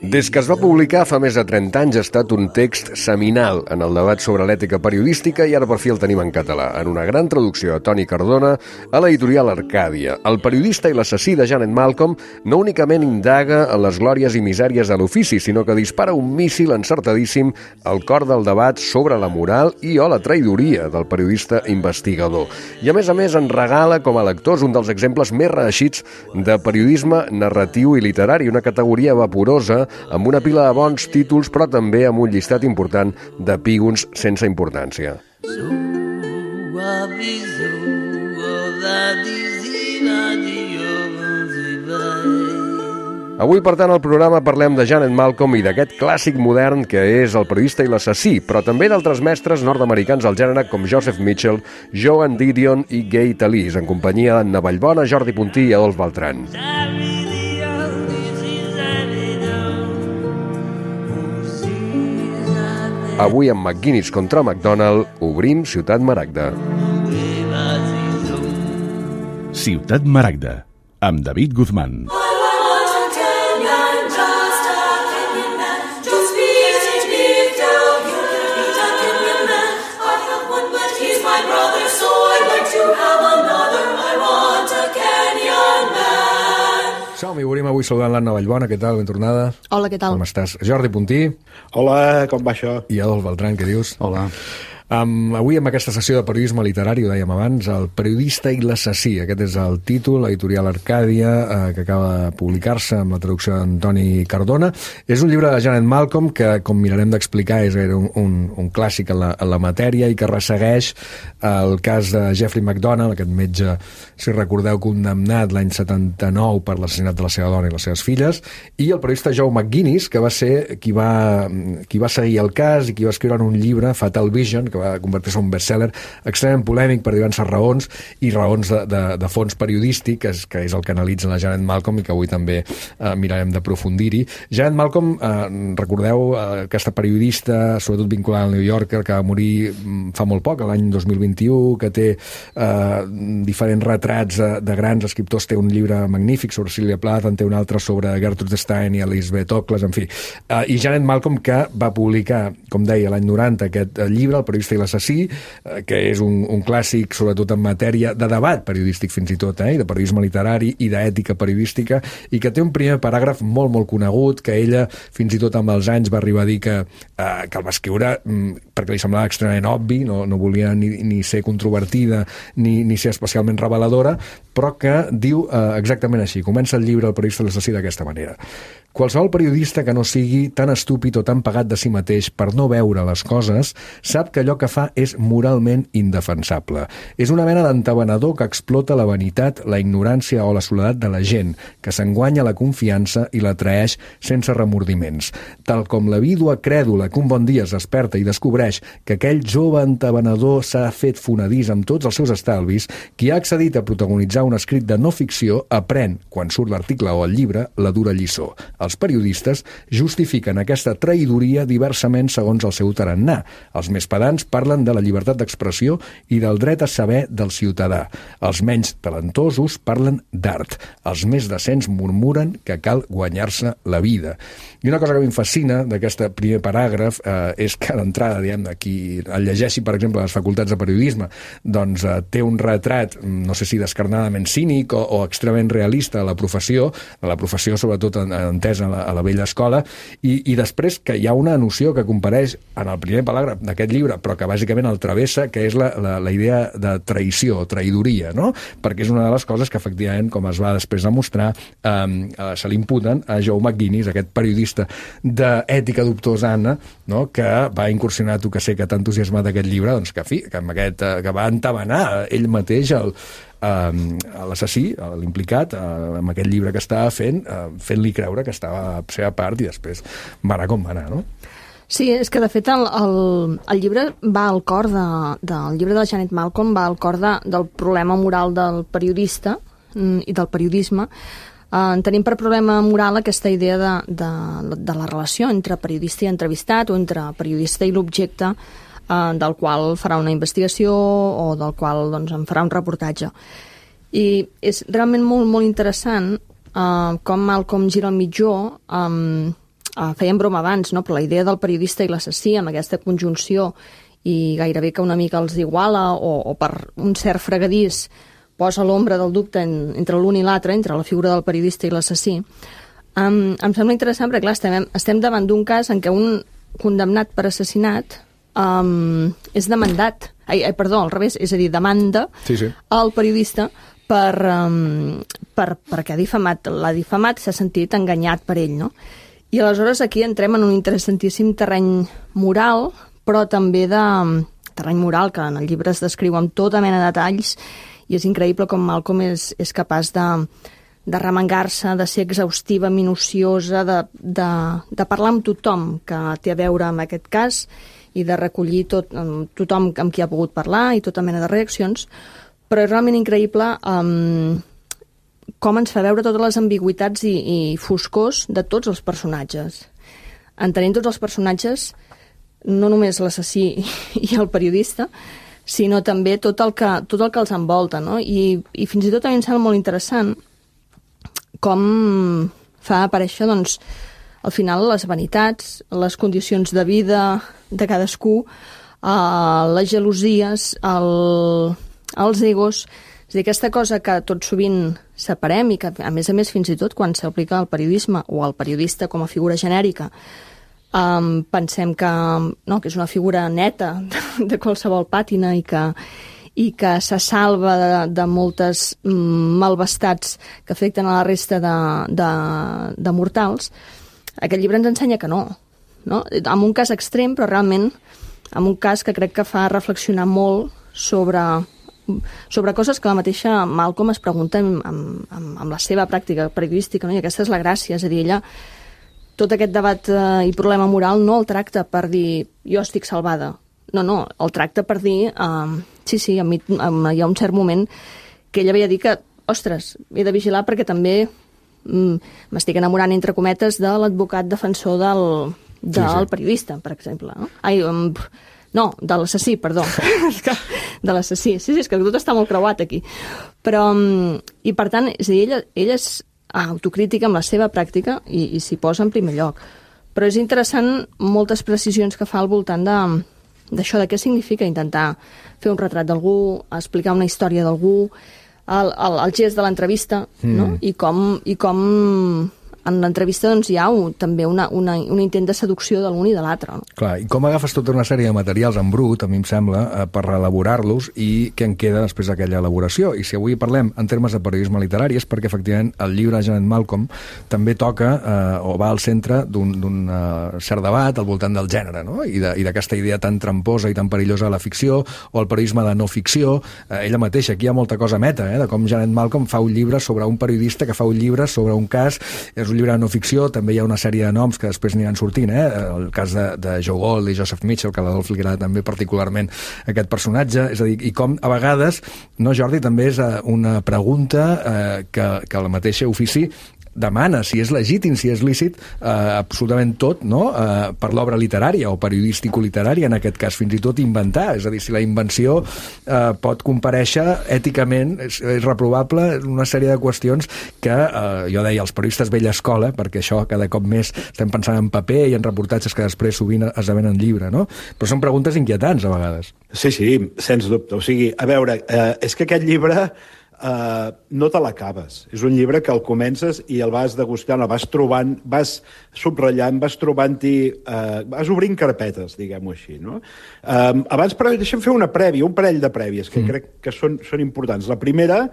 Des que es va publicar fa més de 30 anys ha estat un text seminal en el debat sobre l'ètica periodística i ara per fi el tenim en català, en una gran traducció de Toni Cardona a l'editorial Arcàdia. El periodista i l'assassí de Janet Malcolm no únicament indaga en les glòries i misèries de l'ofici, sinó que dispara un míssil encertadíssim al cor del debat sobre la moral i o la traïdoria del periodista investigador. I a més en regala com a lectors un dels exemples més reeixits de periodisme narratiu i literari, una categoria vaporosa amb una pila de bons títols, però també amb un llistat important d'epígons sense importància. Avui, per tant, al programa parlem de Janet Malcolm i d'aquest clàssic modern que és El periodista i l'assassí, però també d'altres mestres nord-americans al gènere com Joseph Mitchell, Joan Didion i Gay Talese, en companyia d'Anna Vallbona, Jordi Puntí i Adolf Beltrán. Avui amb McGuinness contra McDonald obrim Ciutat Maragda. Ciutat Maragda, amb David Guzmán. Som-hi, obrim avui saludant l'Anna Vallbona. Què tal? Ben tornada. Hola, què tal? Com estàs? Jordi Puntí. Hola, com va això? I Adolf Beltrán, què dius? Hola. Avui, amb aquesta sessió de periodisme literari, ho dèiem abans, El periodista i l'assassí. Aquest és el títol, l'editorial Arcàdia, que acaba de publicar-se amb la traducció d'Antoni Cardona. És un llibre de Janet Malcolm que, com mirarem d'explicar, és un clàssic en la matèria i que ressegueix el cas de Jeffrey MacDonald, aquest metge, si recordeu, condemnat l'any 79 per l'assassinat de la seva dona i les seves filles, i el periodista Joe McGuinness, que va ser qui va seguir el cas i qui va escriure en un llibre, Fatal Vision, que va convertir-se en un bestseller extremament polèmic per diverses raons i raons de fons periodístic, que és el que analitza la Janet Malcolm i que avui també mirarem d'aprofundir-hi. Janet Malcolm, recordeu, aquesta periodista, sobretot vinculada al New Yorker, que va morir fa molt poc, l'any 2021, que té diferents retrats de grans escriptors. Té un llibre magnífic sobre Sylvia Plath, en té un altre sobre Gertrude Stein i Elizabeth Ocles, en fi. I Janet Malcolm, que va publicar, com deia, l'any 90, aquest llibre, El periodista i l'assassí, que és un clàssic, sobretot en matèria de debat periodístic fins i tot, i de periodisme literari i d'ètica periodística, i que té un primer paràgraf molt, molt conegut, que ella, fins i tot amb els anys, va arribar a dir que el va escriure perquè li semblava extremadament obvi, no volia ni ser controvertida ni ser especialment reveladora, però que diu exactament així. Comença el llibre El periodista i l'assassí d'aquesta manera. Qualsevol periodista que no sigui tan estúpid o tan pagat de si mateix per no veure les coses sap que allò que fa és moralment indefensable. És una mena d'entabanador que explota la vanitat, la ignorància o la soledat de la gent, que s'enguanya la confiança i la traeix sense remordiments. Tal com la vídua crèdula que un bon dia es desperta i descobreix que aquell jove entabanador s'ha fet fonedís amb tots els seus estalvis, qui ha accedit a protagonitzar un escrit de no ficció aprèn, quan surt l'article o el llibre, la dura lliçó. Els periodistes justifiquen aquesta traïdoria diversament segons el seu tarannà. Els més pedants parlen de la llibertat d'expressió i del dret a saber del ciutadà. Els menys talentosos parlen d'art. Els més decents murmuren que cal guanyar-se la vida. I una cosa que a mi em fascina d'aquest primer paràgraf és que d'entrada, diguem-ne, qui el llegeixi, per exemple, a les facultats de periodisme, doncs té un retrat, no sé si descarnadament cínic o extremament realista de la professió sobretot entesa a la vella escola, i després que hi ha una noció que compareix en el primer paràgraf d'aquest llibre, però que bàsicament el travessa, que és la idea de traïció, traïdoria, no? Perquè és una de les coses que efectivament, com es va després demostrar, se li imputen a Joe McGuinness, aquest periodista d'ètica dubtosana, no? Que va incursionar, tu que sé que t'ha entusiasmat aquest llibre, doncs que va entabanar ell mateix l'assassí, l'implicat, amb aquest llibre que estava fent-li creure que estava a la seva part i després va anar com va anar, no? Sí, és que de fet el llibre va al cor del llibre de Janet Malcolm, va al cor del problema moral del periodista i del periodisme. Tenim per problema moral aquesta idea de la relació entre periodista i entrevistat o entre periodista i l'objecte del qual farà una investigació o del qual doncs, en farà un reportatge. I és realment molt, molt interessant com Malcolm gira al mitjó fèiem broma abans, no? Però la idea del periodista i l'assassí, amb aquesta conjunció, i gairebé que una mica els iguala, o per un cert fregadís posa l'ombra del dubte entre l'un i l'altre, entre la figura del periodista i l'assassí, em sembla interessant perquè, clar, estem davant d'un cas en què un condemnat per assassinat és demandat, al revés, és a dir, demanda al periodista perquè l'ha difamat, s'ha sentit enganyat per ell, no? I aleshores aquí entrem en un interessantíssim terreny moral, però també de terreny moral, que en el llibre es descriu amb tota mena de detalls, i és increïble com Malcolm és capaç de remengar-se, de ser exhaustiva, minuciosa, de parlar amb tothom que té a veure amb aquest cas i de recollir tothom amb qui ha pogut parlar i tota mena de reaccions, però és realment increïble com ens fa veure totes les ambigüitats i foscors de tots els personatges. Entenent tots els personatges, no només l'assassí i el periodista, sinó també tot el que els envolta, no? I fins i tot a mi em sembla molt interessant com fa aparèixer, doncs, al final les vanitats, les condicions de vida de cadascú, les gelosies, els egos. És a dir, aquesta cosa que tot sovint separem i que, a més, fins i tot quan s'aplica al periodisme o al periodista com a figura genèrica, pensem que és una figura neta de qualsevol pàtina i que se salva de moltes malvestats que afecten a la resta de mortals. Aquest llibre ens ensenya que no? En un cas extrem, però realment en un cas que crec que fa reflexionar molt sobre coses que la mateixa Malcolm es pregunta amb la seva pràctica periodística, no? I aquesta és la gràcia, és a dir, ella tot aquest debat i problema moral no el tracta per dir jo estic salvada. No, el tracta per dir sí, a mi hi ha un cert moment que ella veia dir que, ostres, he de vigilar perquè també m'estic enamorant, entre cometes, de l'advocat defensor del periodista, per exemple. No, de l'assassí, perdó. De l'assassí. Sí, és que tot està molt creuat aquí. Però, i per tant, és a dir, ella és autocrítica amb la seva pràctica i s'hi posa en primer lloc. Però és interessant moltes precisions que fa al voltant d'això, de què significa intentar fer un retrat d'algú, explicar una història d'algú, el gest de l'entrevista, no? I com en l'entrevista doncs, hi ha també un intent de seducció de l'un i de l'altre. No? Clar, i com agafes tota una sèrie de materials en brut, a mi em sembla, per reelaborar-los i què en queda després d'aquella elaboració. I si avui parlem en termes de periodisme literari és perquè, efectivament, el llibre de Janet Malcolm també toca o va al centre d'un cert debat al voltant del gènere, no? I d'aquesta idea tan tramposa i tan perillosa de la ficció o el periodisme de no ficció. Ella mateixa, aquí hi ha molta cosa meta, de com Janet Malcolm fa un llibre sobre un periodista que fa un llibre sobre un cas. És un llibre de no ficció, també hi ha una sèrie de noms que després aniran sortint, el cas de Joe Gold i Joseph Mitchell, que a l'Adolf li agrada també particularment aquest personatge, és a dir, i com a vegades, no, Jordi, també és una pregunta que el mateix ofici demana si és legítim, si és lícit, absolutament tot, no? Per l'obra literària o periodístico-literària, en aquest cas, fins i tot inventar. És a dir, si la invenció pot comparèixer èticament, és reprovable una sèrie de qüestions que, jo deia, els periodistes vella escola, perquè això cada cop més estem pensant en paper i en reportatges que després sovint esdevenen llibre, no? Però són preguntes inquietants, a vegades. Sí, sens dubte. O sigui, a veure, és que aquest llibre no te l'acabes. És un llibre que el comences i el vas degustant, el vas trobant, vas subratllant, vas trobant-hi, vas obrint carpetes, diguem-ho així, no? Abans, però, deixa'm fer un parell de prèvies que crec que són importants. La primera,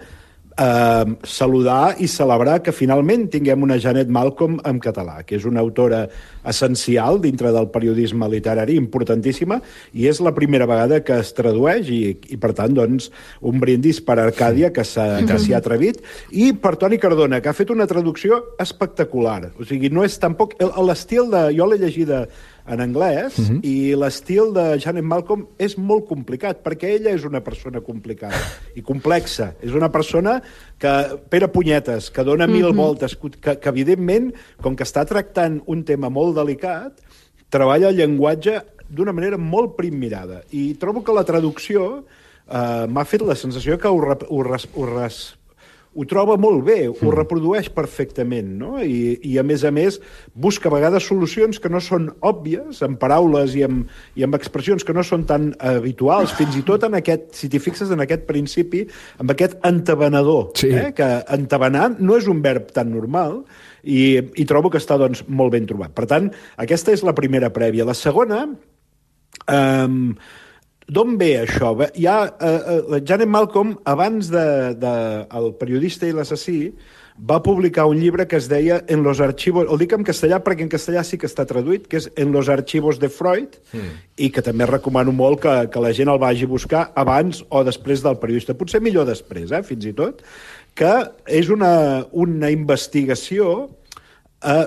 saludar i celebrar que finalment tinguem una Janet Malcolm en català, que és una autora essencial dintre del periodisme literari, importantíssima, i és la primera vegada que es tradueix i per tant, doncs, un brindis per Arcàdia, que s'hi ha atrevit, i per Toni Cardona, que ha fet una traducció espectacular. O sigui, no és tampoc... L'estil de... Jo l'he llegida en anglès, i l'estil de Janet Malcolm és molt complicat, perquè ella és una persona complicada i complexa. És una persona que pera punyetes, que dona mil voltes, que evidentment, com que està tractant un tema molt delicat, treballa el llenguatge d'una manera molt primmirada. I trobo que la traducció m'ha fet la sensació que ho ho troba molt bé, ho reprodueix perfectament, no? I a més, busca a vegades solucions que no són òbvies, amb paraules i amb expressions que no són tan habituals, fins i tot en aquest, si t'hi fixes en aquest principi, amb aquest entabanador, que entabanar no és un verb tan normal, i trobo que està doncs, molt ben trobat. Per tant, aquesta és la primera prèvia. La segona... D'on ve això? Janet Malcolm, abans El periodista i l'assassí, va publicar un llibre que es deia En los archivos... El dic en castellà perquè en castellà sí que està traduït, que és En los archivos de Freud, i que també recomano molt que la gent el vagi a buscar abans o després del periodista. Potser millor després, fins i tot, que és una investigació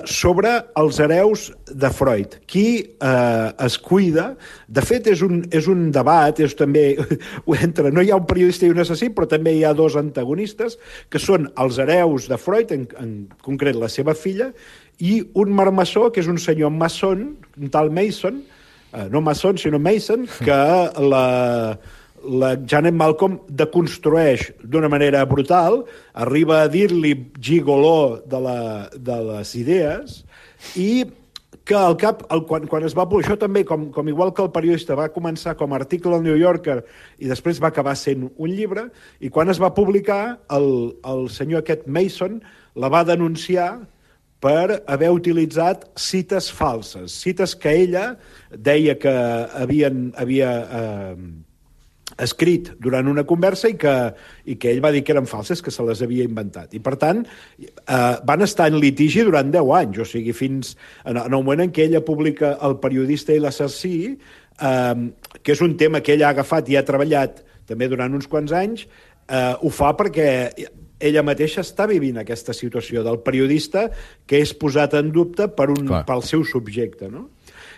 sobre els hereus de Freud. Qui es cuida... De fet, és un debat, és també... No hi ha un periodista i un assassí, però també hi ha dos antagonistes, que són els hereus de Freud, en concret la seva filla, i un marmassó, que és un senyor maçon, un tal Mason, no maçon, sinó Mason, que la Janet Malcolm deconstrueix d'una manera brutal, arriba a dir-li gigoló de les idees, i que al cap, quan es va... Això també, com igual que el periodista, va començar com a article al New Yorker i després va acabar sent un llibre, i quan es va publicar, el senyor aquest Mason la va denunciar per haver utilitzat cites falses, cites que ella deia que havia escrit durant una conversa i que ell va dir que eren falses, que se les havia inventat. I, per tant, van estar en litigi durant 10 anys, o sigui, fins en el moment en què ella publica El periodista i l'assassí, que és un tema que ella ha agafat i ha treballat també durant uns quants anys, ho fa perquè ella mateixa està vivint aquesta situació del periodista que és posat en dubte pel seu subjecte, no?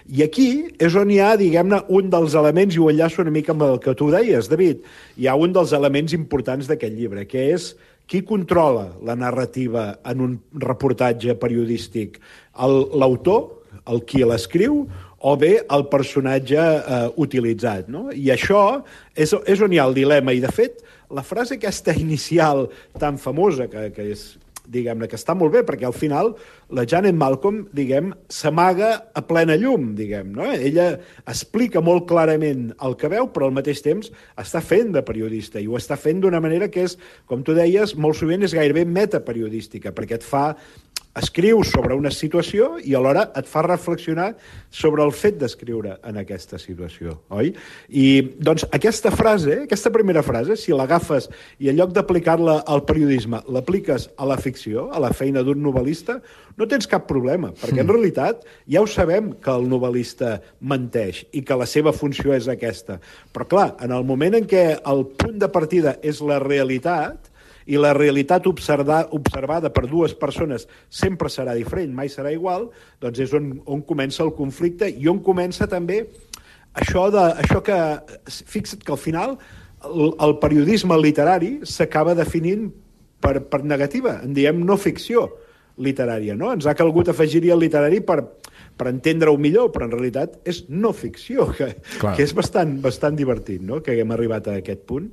I aquí és on hi ha, diguem-ne, un dels elements, i ho enllaço una mica amb el que tu deies, David, hi ha un dels elements importants d'aquest llibre, que és qui controla la narrativa en un reportatge periodístic? L'autor, el qui l'escriu, o bé el personatge utilitzat, no? I això és on hi ha el dilema, i de fet, la frase aquesta inicial tan famosa, que és... diguem-ne, que està molt bé, perquè al final la Janet Malcolm, s'amaga a plena llum, no? Ella explica molt clarament el que veu, però al mateix temps està fent de periodista, i ho està fent d'una manera que és, com tu deies, molt sovint és gairebé metaperiodística, perquè escriu sobre una situació i alhora et fa reflexionar sobre el fet d'escriure en aquesta situació, oi? I, doncs, aquesta primera frase, si l'agafes i en lloc d'aplicar-la al periodisme, l'apliques a la ficció, a la feina d'un novel·lista, no tens cap problema, perquè en realitat ja ho sabem que el novel·lista menteix i que la seva funció és aquesta. Però, clar, en el moment en què el punt de partida és la realitat, i la realitat observada per dues persones sempre serà diferent, mai serà igual, doncs és on comença el conflicte i on comença també això que... Fixa't que al final el periodisme literari s'acaba definint per negativa, en diem no ficció literària, no? Ens ha calgut afegir-hi el literari per entendre-ho millor, però en realitat és no ficció, que és bastant divertit, no?, que haguem arribat a aquest punt.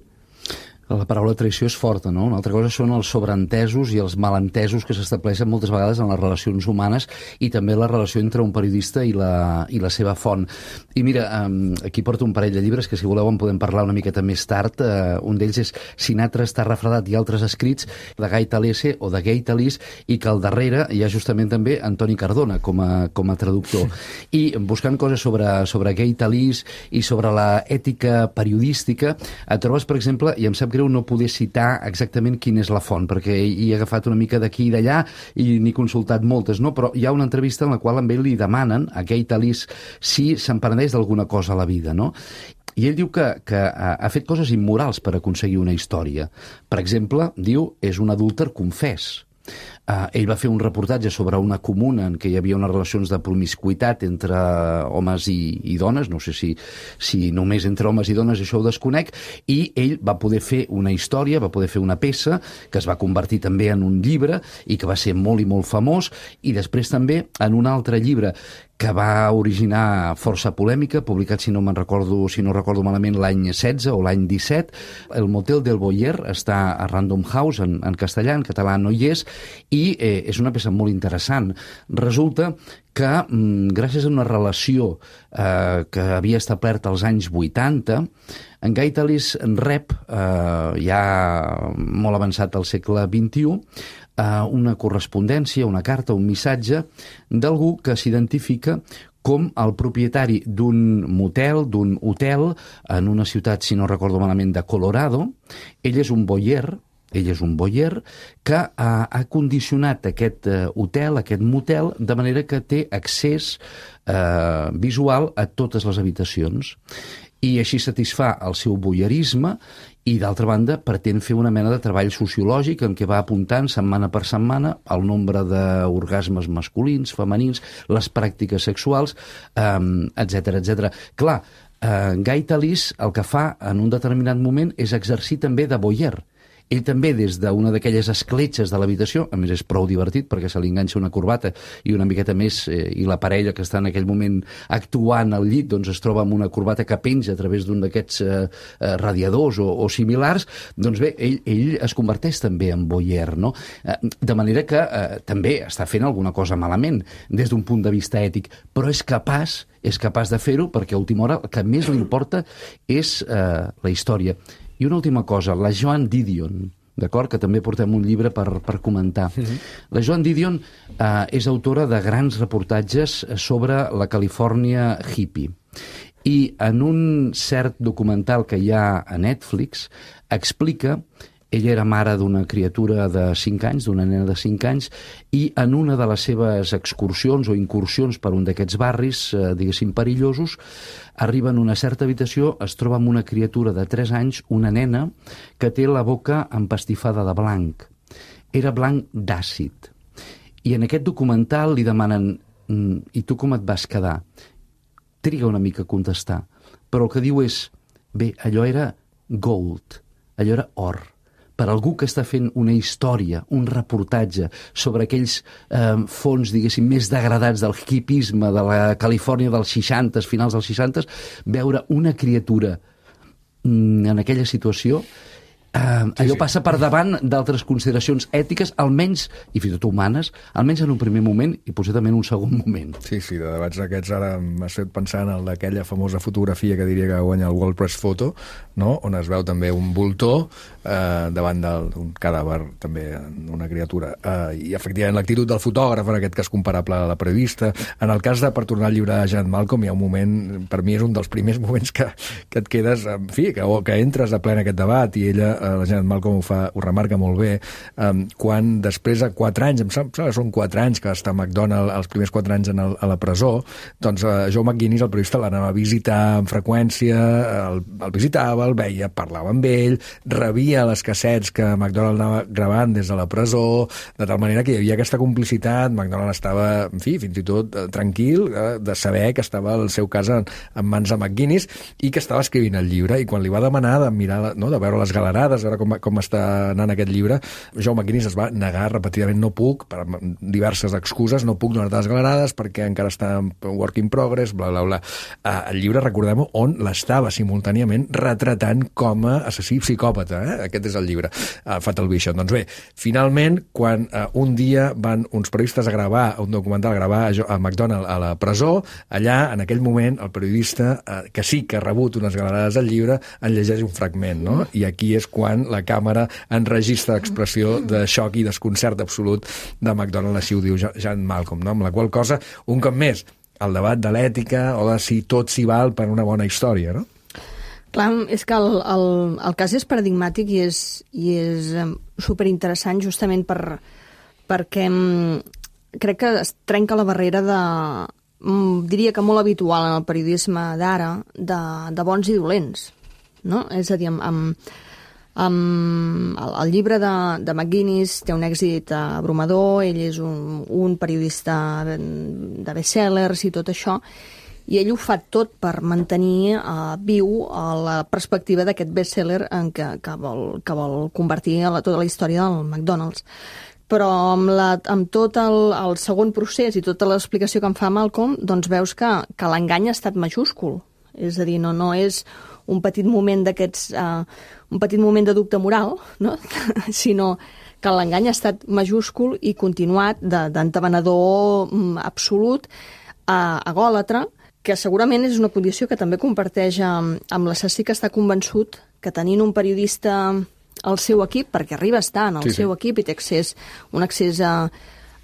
La paraula traïció és forta, no? Una altra cosa són els sobreentesos i els malentesos que s'estableixen moltes vegades en les relacions humanes i també la relació entre un periodista i la seva font. I mira, aquí porto un parell de llibres que si voleu en podem parlar una miqueta més tard. Un d'ells és Sinatra està refredat i altres escrits, de Gai Talese o de Gai Talís, i que al darrere hi ha justament també Antoni Cardona com a traductor. I buscant coses sobre Gai Talís i sobre la ètica periodística, et trobes, per exemple, i em sap greu no poder citar exactament quina és la font, perquè hi he agafat una mica d'aquí i d'allà i n'he consultat moltes, no? Però hi ha una entrevista en la qual amb ell li demanen a Gai Talís si se'n penedeix d'alguna cosa a la vida, no? I ell diu que ha fet coses immorals per aconseguir una història. Per exemple, diu, és un adúlter confés. Ell va fer un reportatge sobre una comuna en què hi havia unes relacions de promiscuitat entre homes i dones, no sé si només entre homes i dones, això ho desconec, i ell va poder fer una història, va poder fer una peça que es va convertir també en un llibre i que va ser molt i molt famós, i després també en un altre llibre que va originar força polèmica, publicat, si no recordo malament, l'any 16 o l'any 17. El Motel del Boyer està a Random House, en castellà, en català no hi és, i és una peça molt interessant. Resulta que, gràcies a una relació que havia establert als anys 80, en Gaitalís rep, ja molt avançat al segle XXI, una correspondència, una carta, un missatge d'algú que s'identifica com el propietari d'un motel, d'un hotel, en una ciutat, si no recordo malament, de Colorado. Ell és un boyer que ha condicionat aquest hotel, aquest motel, de manera que té accés visual a totes les habitacions. I així satisfà el seu voyeurisme i, d'altra banda, pretén fer una mena de treball sociològic en què va apuntant setmana per setmana el nombre d'orgasmes masculins, femenins, les pràctiques sexuals, etc etc. Clar, Gaitalís el que fa en un determinat moment és exercir també de voyeur. Ell també, des d'una d'aquelles escletxes de l'habitació, a més és prou divertit perquè se li enganxa una corbata i una miqueta més, i la parella que està en aquell moment actuant al llit doncs es troba amb una corbata que penja a través d'un d'aquests radiadors o similars, doncs bé, ell es converteix també en voyeur, no? De manera que també està fent alguna cosa malament des d'un punt de vista ètic, però és capaç de fer-ho perquè a última hora el que més li importa és la història. I una última cosa, la Joan Didion, d'acord, que també portem un llibre per comentar. La Joan Didion és autora de grans reportatges sobre la Califòrnia hippie. I en un cert documental que hi ha a Netflix explica. Ella era mare d'una criatura de 5 anys, d'una nena de 5 anys, i en una de les seves excursions o incursions per un d'aquests barris, diguéssim, perillosos, arriba en una certa habitació, es troba amb una criatura de 3 anys, una nena, que té la boca empastifada de blanc. Era blanc d'àcid. I en aquest documental li demanen «I tu com et vas quedar?» Triga una mica a contestar, però el que diu és «Bé, allò era gold, allò era or». Per algú que està fent una història, un reportatge sobre aquells fons, diguéssim, més degradats del hippisme de la Califòrnia dels 60, finals dels 60, veure una criatura en aquella situació, allò passa per davant d'altres consideracions ètiques, almenys, i fins i tot humanes, almenys en un primer moment i potser també en un segon moment. Sí, de debats aquests ara m'has fet pensar en aquella famosa fotografia que diria que guanya el World Press Photo, no? On es veu també un voltor davant d'un cadàver, també una criatura. I efectivament l'actitud del fotògraf, en aquest cas comparable a la periodista. En el cas de, per tornar al llibre de Janet Malcolm, hi ha un moment, per mi és un dels primers moments que et quedes, en fi, que entres a ple en aquest debat, i ella, la Janet Malcolm ho remarca molt bé, quan després de 4 anys, em sembla que són 4 anys que està McDonald, els primers 4 anys a la presó, doncs Joe McGinnis, el periodista, l'anava a visitar amb freqüència, el visitava, el veia, parlava amb ell, rebia les cassets que McDonald anava gravant des de la presó, de tal manera que hi havia aquesta complicitat. McDonald estava, en fi, fins i tot tranquil de saber que estava el seu cas en mans de McGinnis i que estava escrivint el llibre, i quan li va demanar de mirar, no, de veure les galerades, veure com està anant aquest llibre, Joe McGinnis es va negar repetidament. No puc, per diverses excuses, no puc donar-te les galerades perquè encara està en work in progress, bla, bla, bla. El llibre, recordem-ho, on l'estava simultàniament retratant com a assassí psicòpata. Aquest és el llibre, Fatal Vision. Doncs bé, finalment, quan un dia van uns periodistes a gravar un documental, a gravar a McDonald a la presó, allà, en aquell moment, el periodista, que sí que ha rebut unes galerades al llibre, en llegeix un fragment, no? I aquí és quan la càmera enregistra l'expressió de xoc i desconcert absolut de McDonald, així ho diu Janet Malcolm, no? Amb la qual cosa, un cop més, el debat de l'ètica o de si tot s'hi val per una bona història, no? Clar, és que el cas és paradigmàtic i és superinteressant justament perquè crec que es trenca la barrera diria que molt habitual en el periodisme d'ara, de bons i dolents, no? És a dir, el llibre de McGinnis té un èxit abrumador, ell és un periodista de bestsellers i tot això, i ell ho fa tot per mantenir viu la perspectiva d'aquest bestseller en que vol convertir tota la història del McDonald's. però amb tot el segon procés i tota l'explicació que em fa Malcolm, doncs veus que l'engany ha estat majúscul. És a dir, no és un petit moment d'aquests... un petit moment de dubte moral, no? Sinó que l'engany ha estat majúscul i continuat d'entabanador absolut a egòlatra, que segurament és una condició que també comparteix amb l'assassí, que està convençut que tenint un periodista al seu equip, perquè arriba a estar en el seu equip i té un accés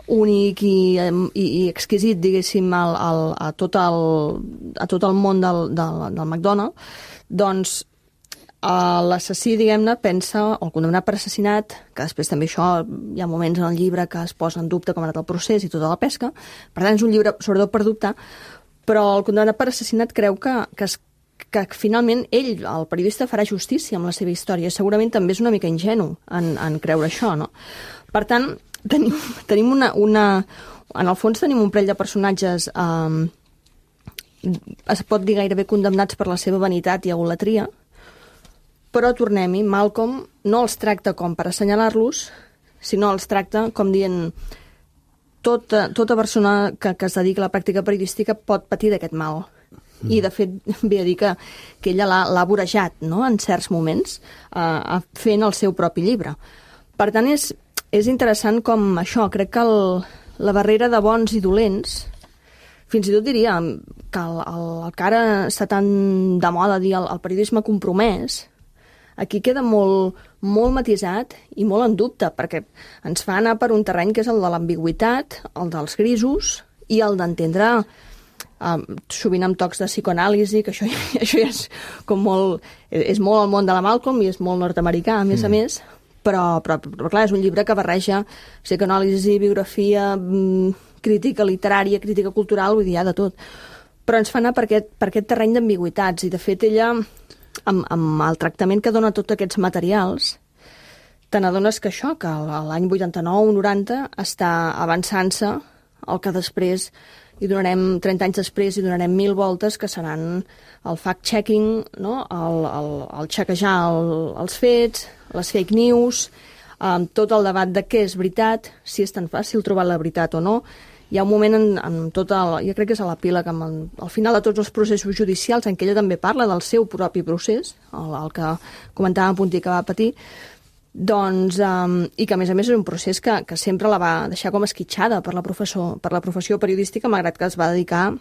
únic i exquisit, diguéssim, a tot el món del McDonald's, doncs l'assassí, diguem-ne, pensa, o el condemnat per assassinat, que després també això, hi ha moments en el llibre que es posa en dubte com ha anat el procés i tota la pesca, per tant és un llibre sobretot per dubtar, però el condemnat per assassinat creu que finalment ell, el periodista, farà justícia amb la seva història. Segurament també és una mica ingenu en creure això, no? Per tant, tenim en el fons tenim un parell de personatges es pot dir gairebé condemnats per la seva vanitat i egolatria, però tornem-hi, Malcolm no els tracta com per assenyalar-los, sinó els tracta com dient tota persona que es dedica a la pràctica periodística pot patir d'aquest mal. I, de fet, ve a dir que ella l'ha vorejat, no?, en certs moments, fent el seu propi llibre. Per tant, és interessant com això, crec que la barrera de bons i dolents, fins i tot diria que el que ara està tan de moda dir el periodisme compromès, aquí queda molt matisat i molt en dubte, perquè ens fa anar per un terreny que és el de l'ambigüitat, el dels grisos i el d'entendre, sovint amb tocs de psicoanàlisi, que això ja és com molt... És molt el món de la Malcolm i és molt nord-americà, a més, però clar, és un llibre que barreja psicoanàlisi, biografia, crítica literària, crítica cultural, vull dir, hi ha de tot. Però ens fa anar per aquest terreny d'ambigüitats, i de fet ella, amb el tractament que dona tots aquests materials, te n'adones que això, que l'any 89-90 està avançant-se el que després hi donarem 30 anys després i donarem 1000 voltes, que seran el fact-checking, no? el xequejar els fets, les fake news, tot el debat de què és veritat, si és tan fàcil trobar la veritat o no. Hi ha un moment jo crec que és a l'epíleg, al final de tots els processos judicials, en què ella també parla del seu propi procés, el que comentava Puntí que va patir, doncs, i que a més és un procés que sempre la va deixar com esquitxada per la professió periodística, malgrat que es va dedicar,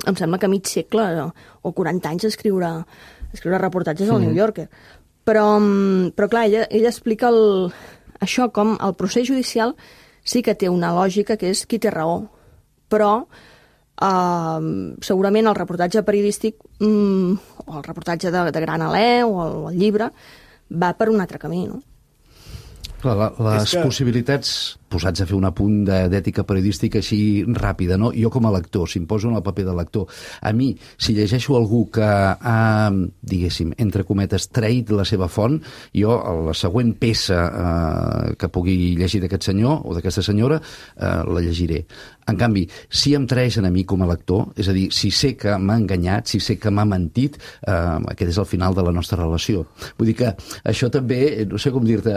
em sembla que mig segle o 40 anys a escriure reportatges al New Yorker. Però clar, ella explica això, com el procés judicial sí que té una lògica, que és qui té raó, però segurament el reportatge periodístic o el reportatge de Gran Alè o el llibre va per un altre camí, no? Clar, les possibilitats, posats a fer un apunt d'ètica periodística així ràpida, no? Jo com a lector, si em poso en el paper de lector, a mi, si llegeixo algú que ha, diguéssim, entre cometes, traït la seva font, jo, la següent peça que pugui llegir d'aquest senyor o d'aquesta senyora, la llegiré. En canvi, si em traeixen a mi com a lector, és a dir, si sé que m'ha enganyat, si sé que m'ha mentit, aquest és el final de la nostra relació. Vull dir que això també, no sé com dir-te,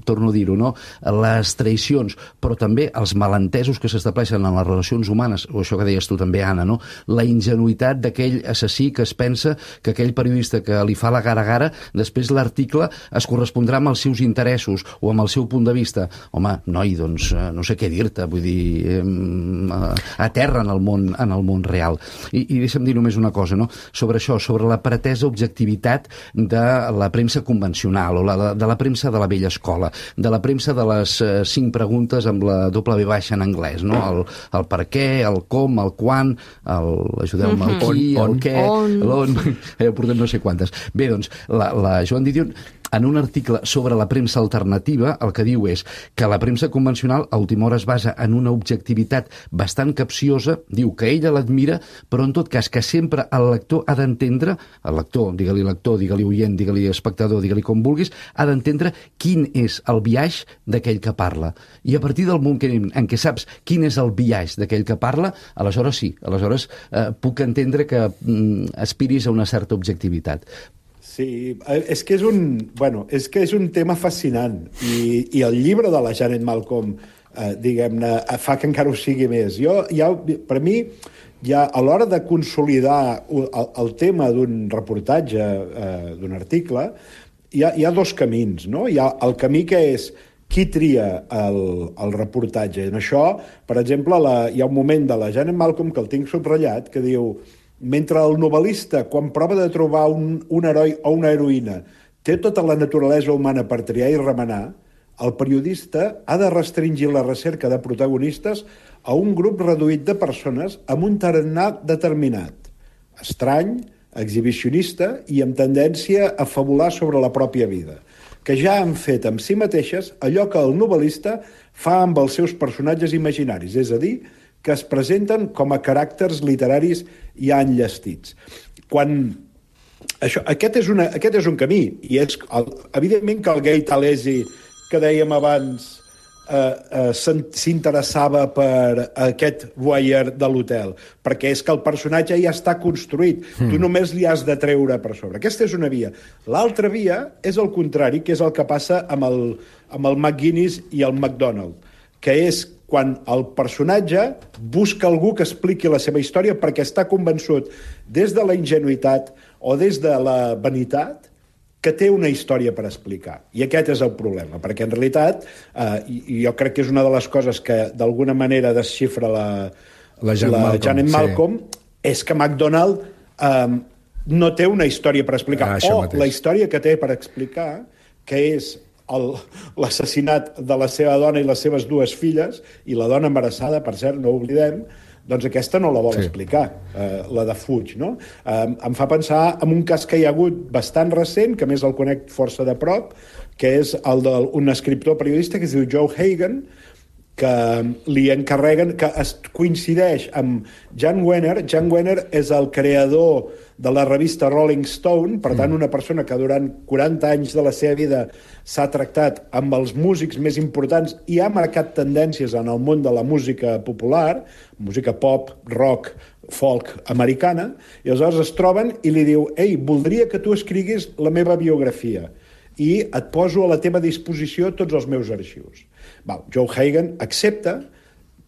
torno a dir-ho, no? Les traïcions, però també els malentesos que s'estableixen en les relacions humanes, o això que deies tu també, Anna, no? La ingenuïtat d'aquell assassí que es pensa que aquell periodista que li fa la gara-gara, després l'article es correspondrà amb els seus interessos o amb el seu punt de vista. Home, noi, doncs, no sé què dir-te, vull dir, a terra en el món real. I deixa'm dir només una cosa, no? Sobre això, sobre la pretesa objectivitat de la premsa convencional o de la premsa de la vella escola, de la premsa de les 5 preguntes amb la W baixa en anglès, no? El per què, el com, el quan, ajudeu-me, el qui, el què, l'on, portem no sé quantes. Bé, doncs, la Joan Didion, en un article sobre la premsa alternativa, el que diu és que la premsa convencional a última hora es basa en una objectivitat bastant capciosa, diu que ella l'admira, però en tot cas que sempre el lector ha d'entendre, el lector, digue-li oient, digue-li espectador, digue-li com vulguis, ha d'entendre quin és el biaix d'aquell que parla. I a partir del moment en què saps quin és el biaix d'aquell que parla, aleshores sí, aleshores puc entendre que aspiris a una certa objectivitat. Sí, és que és un tema fascinant i el llibre de la Janet Malcolm, diguem-ne, fa que encara ho sigui més. Per mi, a l'hora de consolidar el tema d'un reportatge, d'un article, hi ha dos camins, no? Hi ha el camí que és qui tria el reportatge. En això, per exemple, hi ha un moment de la Janet Malcolm que el tinc subratllat, que diu: mentre el novel·lista, quan prova de trobar un heroi o una heroïna, té tota la naturalesa humana per triar i remenar, el periodista ha de restringir la recerca de protagonistes a un grup reduït de persones amb un tarannà determinat, estrany, exhibicionista i amb tendència a fabular sobre la pròpia vida, que ja han fet amb si mateixes allò que el novel·lista fa amb els seus personatges imaginaris, és a dir, que es presenten com a caràcters literaris ja enllestits. Aquest és un camí, i és evidentment que el Gay Talesi, que dèiem abans, s'interessava per aquest voyeur de l'hotel, perquè és que el personatge ja està construït, tu només li has de treure per sobre. Aquesta és una via. L'altra via és el contrari, que és el que passa amb el McGuinness i el MacDonald, que és quan el personatge busca algú que expliqui la seva història perquè està convençut des de la ingenuïtat o des de la vanitat que té una història per explicar. I aquest és el problema, perquè en realitat, jo crec que és una de les coses que d'alguna manera desxifra la Janet Malcolm, és que MacDonald no té una història per explicar, la història que té per explicar, que és l'assassinat de la seva dona i les seves dues filles, i la dona embarassada, per cert, no ho oblidem, doncs aquesta no la vol explicar, la de Fuig, no? Em fa pensar en un cas que hi ha hagut bastant recent, que a més el conec força de prop, que és el d'un escriptor periodista que es diu Joe Hagan, que li encarreguen, que es coincideix amb Jan Wenner. Jan Wenner és el creador de la revista Rolling Stone, per tant, una persona que durant 40 anys de la seva vida s'ha tractat amb els músics més importants i ha marcat tendències en el món de la música popular, música pop, rock, folk americana, i aleshores es troben i li diu: ei, voldria que tu escriguis la meva biografia i et poso a la teva disposició tots els meus arxius. Joe Hagan accepta,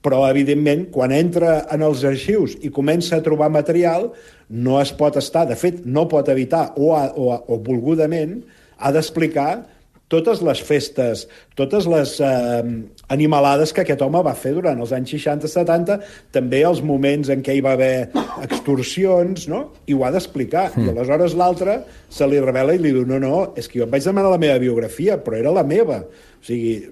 però, evidentment, quan entra en els arxius i comença a trobar material, no es pot estar, de fet, no pot evitar, o volgudament, ha d'explicar totes les festes, totes les animalades que aquest home va fer durant els anys 60-70, també els moments en què hi va haver extorsions, no? I ho ha d'explicar. I aleshores l'altre se li revela i li diu: no, és que jo em vaig demanar la meva biografia, però era la meva. O sigui,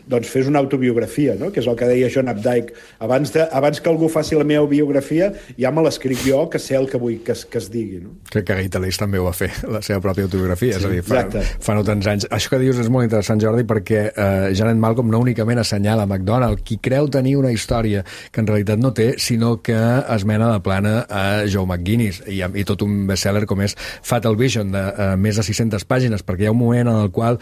doncs fes una autobiografia, no? Que és el que deia John Updike. Abans que algú faci la meva biografia, ja me l'escric jo, que sé el que vull que es digui, no? Crec que Gay Talesi també ho va fer, la seva pròpia autobiografia, sí, és a dir, fa no tants anys. Això que dius és molt interessant, Jordi, perquè Janet Malcolm no únicament assenyala MacDonald, qui creu tenir una història que en realitat no té, sinó que es mena de plana a Joe McGuinness, i tot un bestseller com és Fatal Vision, de més de 600 pàgines, perquè hi ha un moment en el qual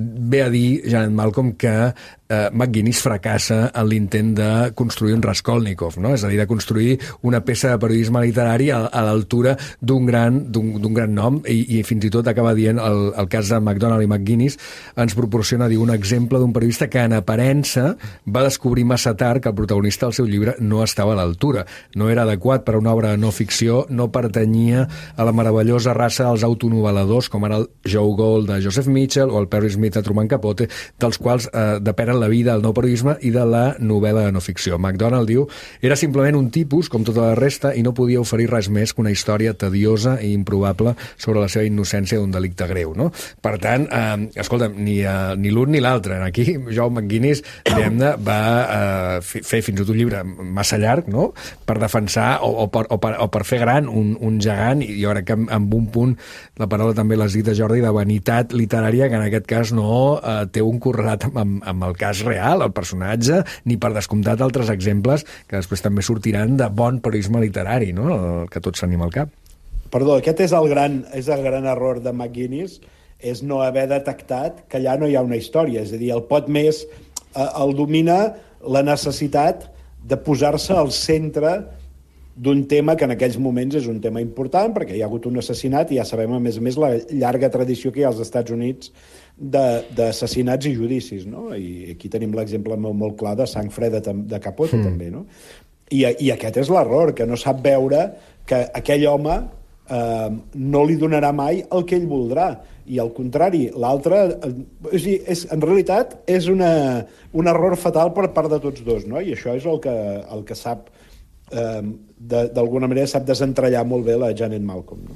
ve a dir Janet Malcolm que McGuinness fracassa en l'intent de construir un Raskolnikov, no? És a dir, de construir una peça de periodisme literari a l'altura d'un gran nom, i fins i tot acaba dient el cas de MacDonald i McGuinness ens proporciona, diu, un exemple d'un periodista que en aparença va descobrir massa tard que el protagonista del seu llibre no estava a l'altura, no era adequat per a una obra de no ficció, no pertanyia a la meravellosa raça dels autonovel·ladors com ara el Joe Gold de Joseph Mitchell o el Perry Smith de Truman Capote, dels quals depenen la vida, el nou periodisme i de la novel·la de no ficció. MacDonald, diu, era simplement un tipus com tota la resta i no podia oferir res més que una història tediosa i improbable sobre la seva innocència d'un delicte greu, no? Per tant, escolta'm, ni l'un ni l'altre. Aquí, Joe McGuinness, diguem-ne, va fer fins i tot un llibre massa llarg, no?, per defensar o per fer gran un gegant, i jo crec que amb un punt, la paraula també l'has dit, Jordi, de vanitat literària, que en aquest cas no té un correlat amb el cas real, el personatge, ni per descomptat altres exemples que després també sortiran de bon periodisme literari, no?, el que tot s'anima al cap. Perdó, aquest és el gran error de McGuinness, és no haver detectat que allà no hi ha una història, és a dir, el pot més el domina la necessitat de posar-se al centre d'un tema que en aquells moments és un tema important perquè hi ha hagut un assassinat i ja sabem, a més, la llarga tradició que hi ha als Estats Units d'assassinats i judicis, no? I aquí tenim l'exemple molt clar de Sang Freda de Capote, també, no? I aquest és l'error, que no sap veure que aquell home no li donarà mai el que ell voldrà, i al contrari, l'altre, en realitat és un error fatal per part de tots dos, no? I això és el que sap, d'alguna manera, sap desentrellar molt bé la Janet Malcolm, no?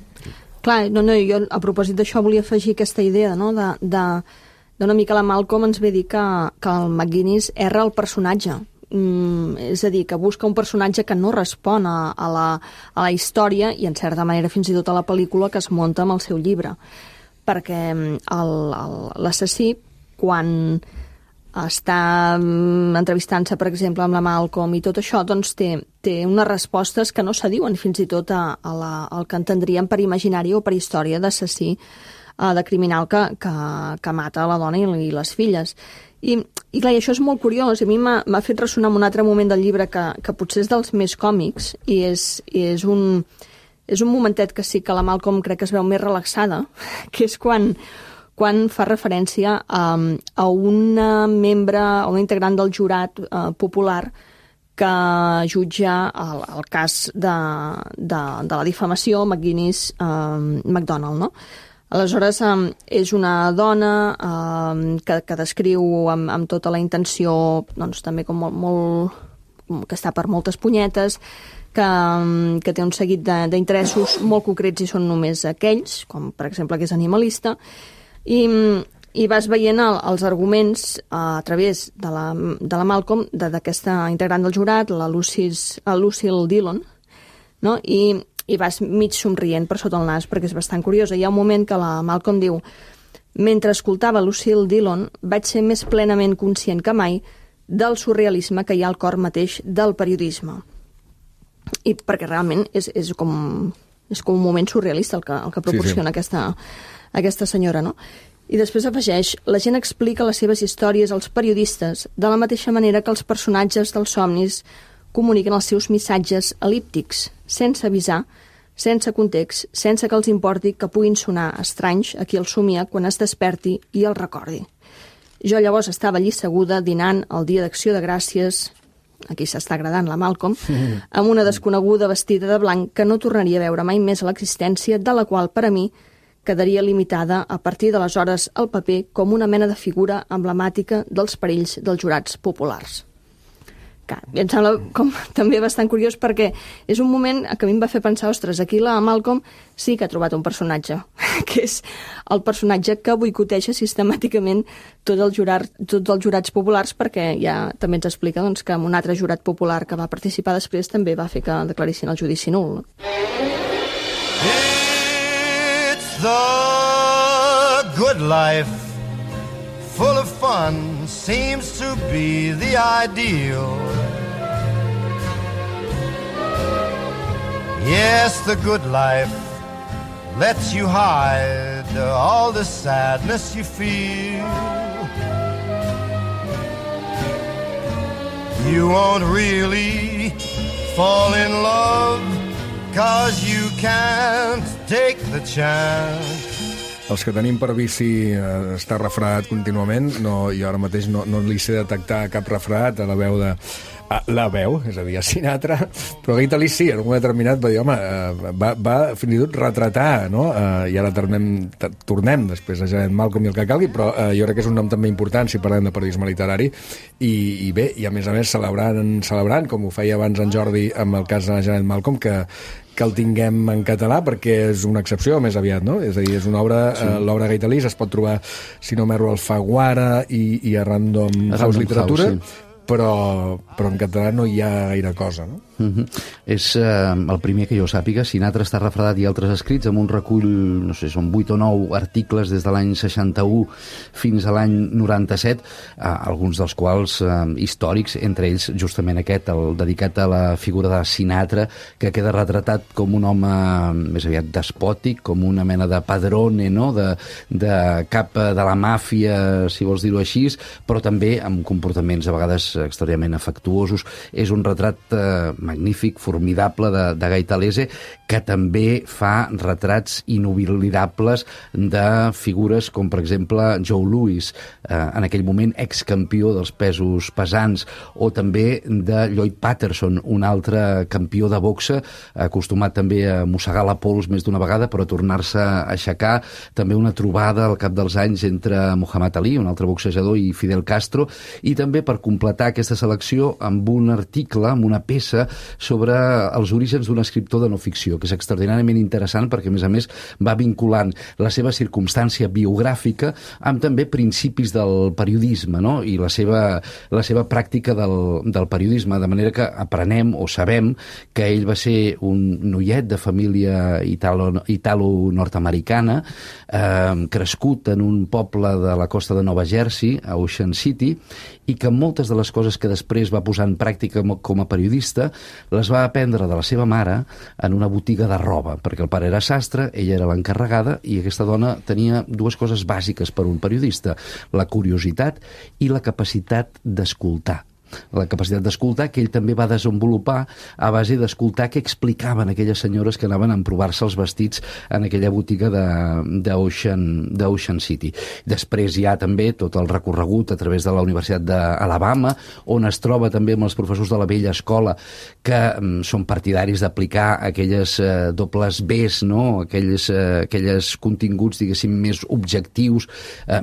Clar, jo a propòsit d'això volia afegir aquesta idea, no?, d'una mica la Malcolm ens ve dir que el McGuinness erra el personatge. És a dir, que busca un personatge que no respon a la història i, en certa manera, fins i tot a la pel·lícula que es munta amb el seu llibre. Perquè l'assassí, quan està entrevistant-se, per exemple, amb la Malcolm i tot això, doncs té unes respostes que no s'adiuen fins i tot al que entendríem per imaginari o per història d'assassí, de criminal que mata la dona i les filles. I clar, això és molt curiós. A mi m'ha fet ressonar en un altre moment del llibre que potser és dels més còmics i és un momentet que sí que la Malcolm crec que es veu més relaxada, que és quan fa referència a una membre, a una integrant del jurat popular que jutja el cas de la difamació McGuinness-MacDonald, no? Aleshores, és una dona que descriu amb tota la intenció, doncs, també com que està per moltes punyetes, que té un seguit d'interessos molt concrets i són només aquells, com per exemple que és animalista, i vas veient els arguments a través de la Malcolm, d'aquesta integrant del jurat, la Lucille Dillon, no? I vas mig somrient per sota el nas, perquè és bastant curiosa. Hi ha un moment que la Malcolm diu: mentre escoltava Lucille Dillon, vaig ser més plenament conscient que mai del surrealisme que hi ha al cor mateix del periodisme. I perquè realment és com un moment surrealista el que proporciona aquesta senyora, no? I després afegeix: la gent explica les seves històries als periodistes de la mateixa manera que els personatges dels somnis comuniquen els seus missatges el·líptics, sense avisar, sense context, sense que els importi que puguin sonar estranys a qui el somia quan es desperti i el recordi. Jo llavors estava allí asseguda dinant el dia d'Acció de Gràcies, aquí s'està agradant la Malcolm, amb una desconeguda vestida de blanc que no tornaria a veure mai més a l'existència, de la qual, per a mi, quedaria limitada a partir d'aleshores al paper com una mena de figura emblemàtica dels perills dels jurats populars. I em sembla com també bastant curiós perquè és un moment que a mi em va fer pensar, ostres, aquí la Malcolm sí que ha trobat un personatge, que és el personatge que boicoteja sistemàticament tots els jurats populars, perquè ja també ens explica doncs, que un altre jurat popular que va participar després també va fer que declarissin el judici nul. It's the good life, full of fun, seems to be the ideal. Yes, the good life lets you hide all the sadness you feel. You won't really fall in love, 'cause you can't take the chance. Els que tenim per vici està refredat contínuament, jo ara mateix no li sé detectar cap refredat a la veu la veu, és a dir, a Sinatra, però Gaitali sí, en un moment determinat va dir, home, va fins i tot retratar, no? I ara tornem després a Janet Malcolm i el que calgui, però jo crec que és un nom també important si parlem de periodisme literari, i bé, i a més celebrant, com ho feia abans en Jordi amb el cas de Janet Malcolm, que el tinguem en català, perquè és una excepció més aviat, no? És a dir, és una obra, l'obra Gaitalí es pot trobar, si no m'erro, al Alfaguara i a Random House Literatura, però en català no hi ha gaire cosa, no? És el primer que jo sàpiga. Sinatra està refredat i altres escrits amb un recull, no sé, són 8 o 9 articles des de l'any 61 fins a l'any 97, alguns dels quals històrics, entre ells justament aquest, el dedicat a la figura de Sinatra, que queda retratat com un home més aviat despòtic, com una mena de padrone, no?, de cap de la màfia, si vols dir-ho així, però també amb comportaments a vegades extraordinàriament afectuosos. És un retrat magnífic, formidable de Gai Talese, que també fa retrats inoblidables de figures com, per exemple, Joe Louis, en aquell moment excampió dels pesos pesants, o també de Lloyd Patterson, un altre campió de boxa, acostumat també a mossegar la pols més d'una vegada, però a tornar-se a aixecar. També una trobada al cap dels anys entre Muhammad Ali, un altre boxejador, i Fidel Castro, i també per completar aquesta selecció amb un article, amb una peça sobre els orígens d'un escriptor de no ficció, que és extraordinàriament interessant perquè, a més, va vinculant la seva circumstància biogràfica amb també principis del periodisme, no? I la seva pràctica del periodisme, de manera que aprenem o sabem que ell va ser un noiet de família italo-nord-americana, crescut en un poble de la costa de Nova Jersey, a Ocean City, i que moltes de les coses que després va posar en pràctica com a periodista les va aprendre de la seva mare en una botiga de roba, perquè el pare era sastre, ella era l'encarregada, i aquesta dona tenia dues coses bàsiques per un periodista: la curiositat i la capacitat d'escoltar. La capacitat d'escoltar, que ell també va desenvolupar a base d'escoltar què explicaven aquelles senyores que anaven a emprovar-se els vestits en aquella botiga d'Ocean City. Després hi ha també tot el recorregut a través de la Universitat d'Alabama, on es troba també amb els professors de la vella escola, que són partidaris d'aplicar aquelles dobles Bs, no? Aquelles continguts, diguéssim, més objectius,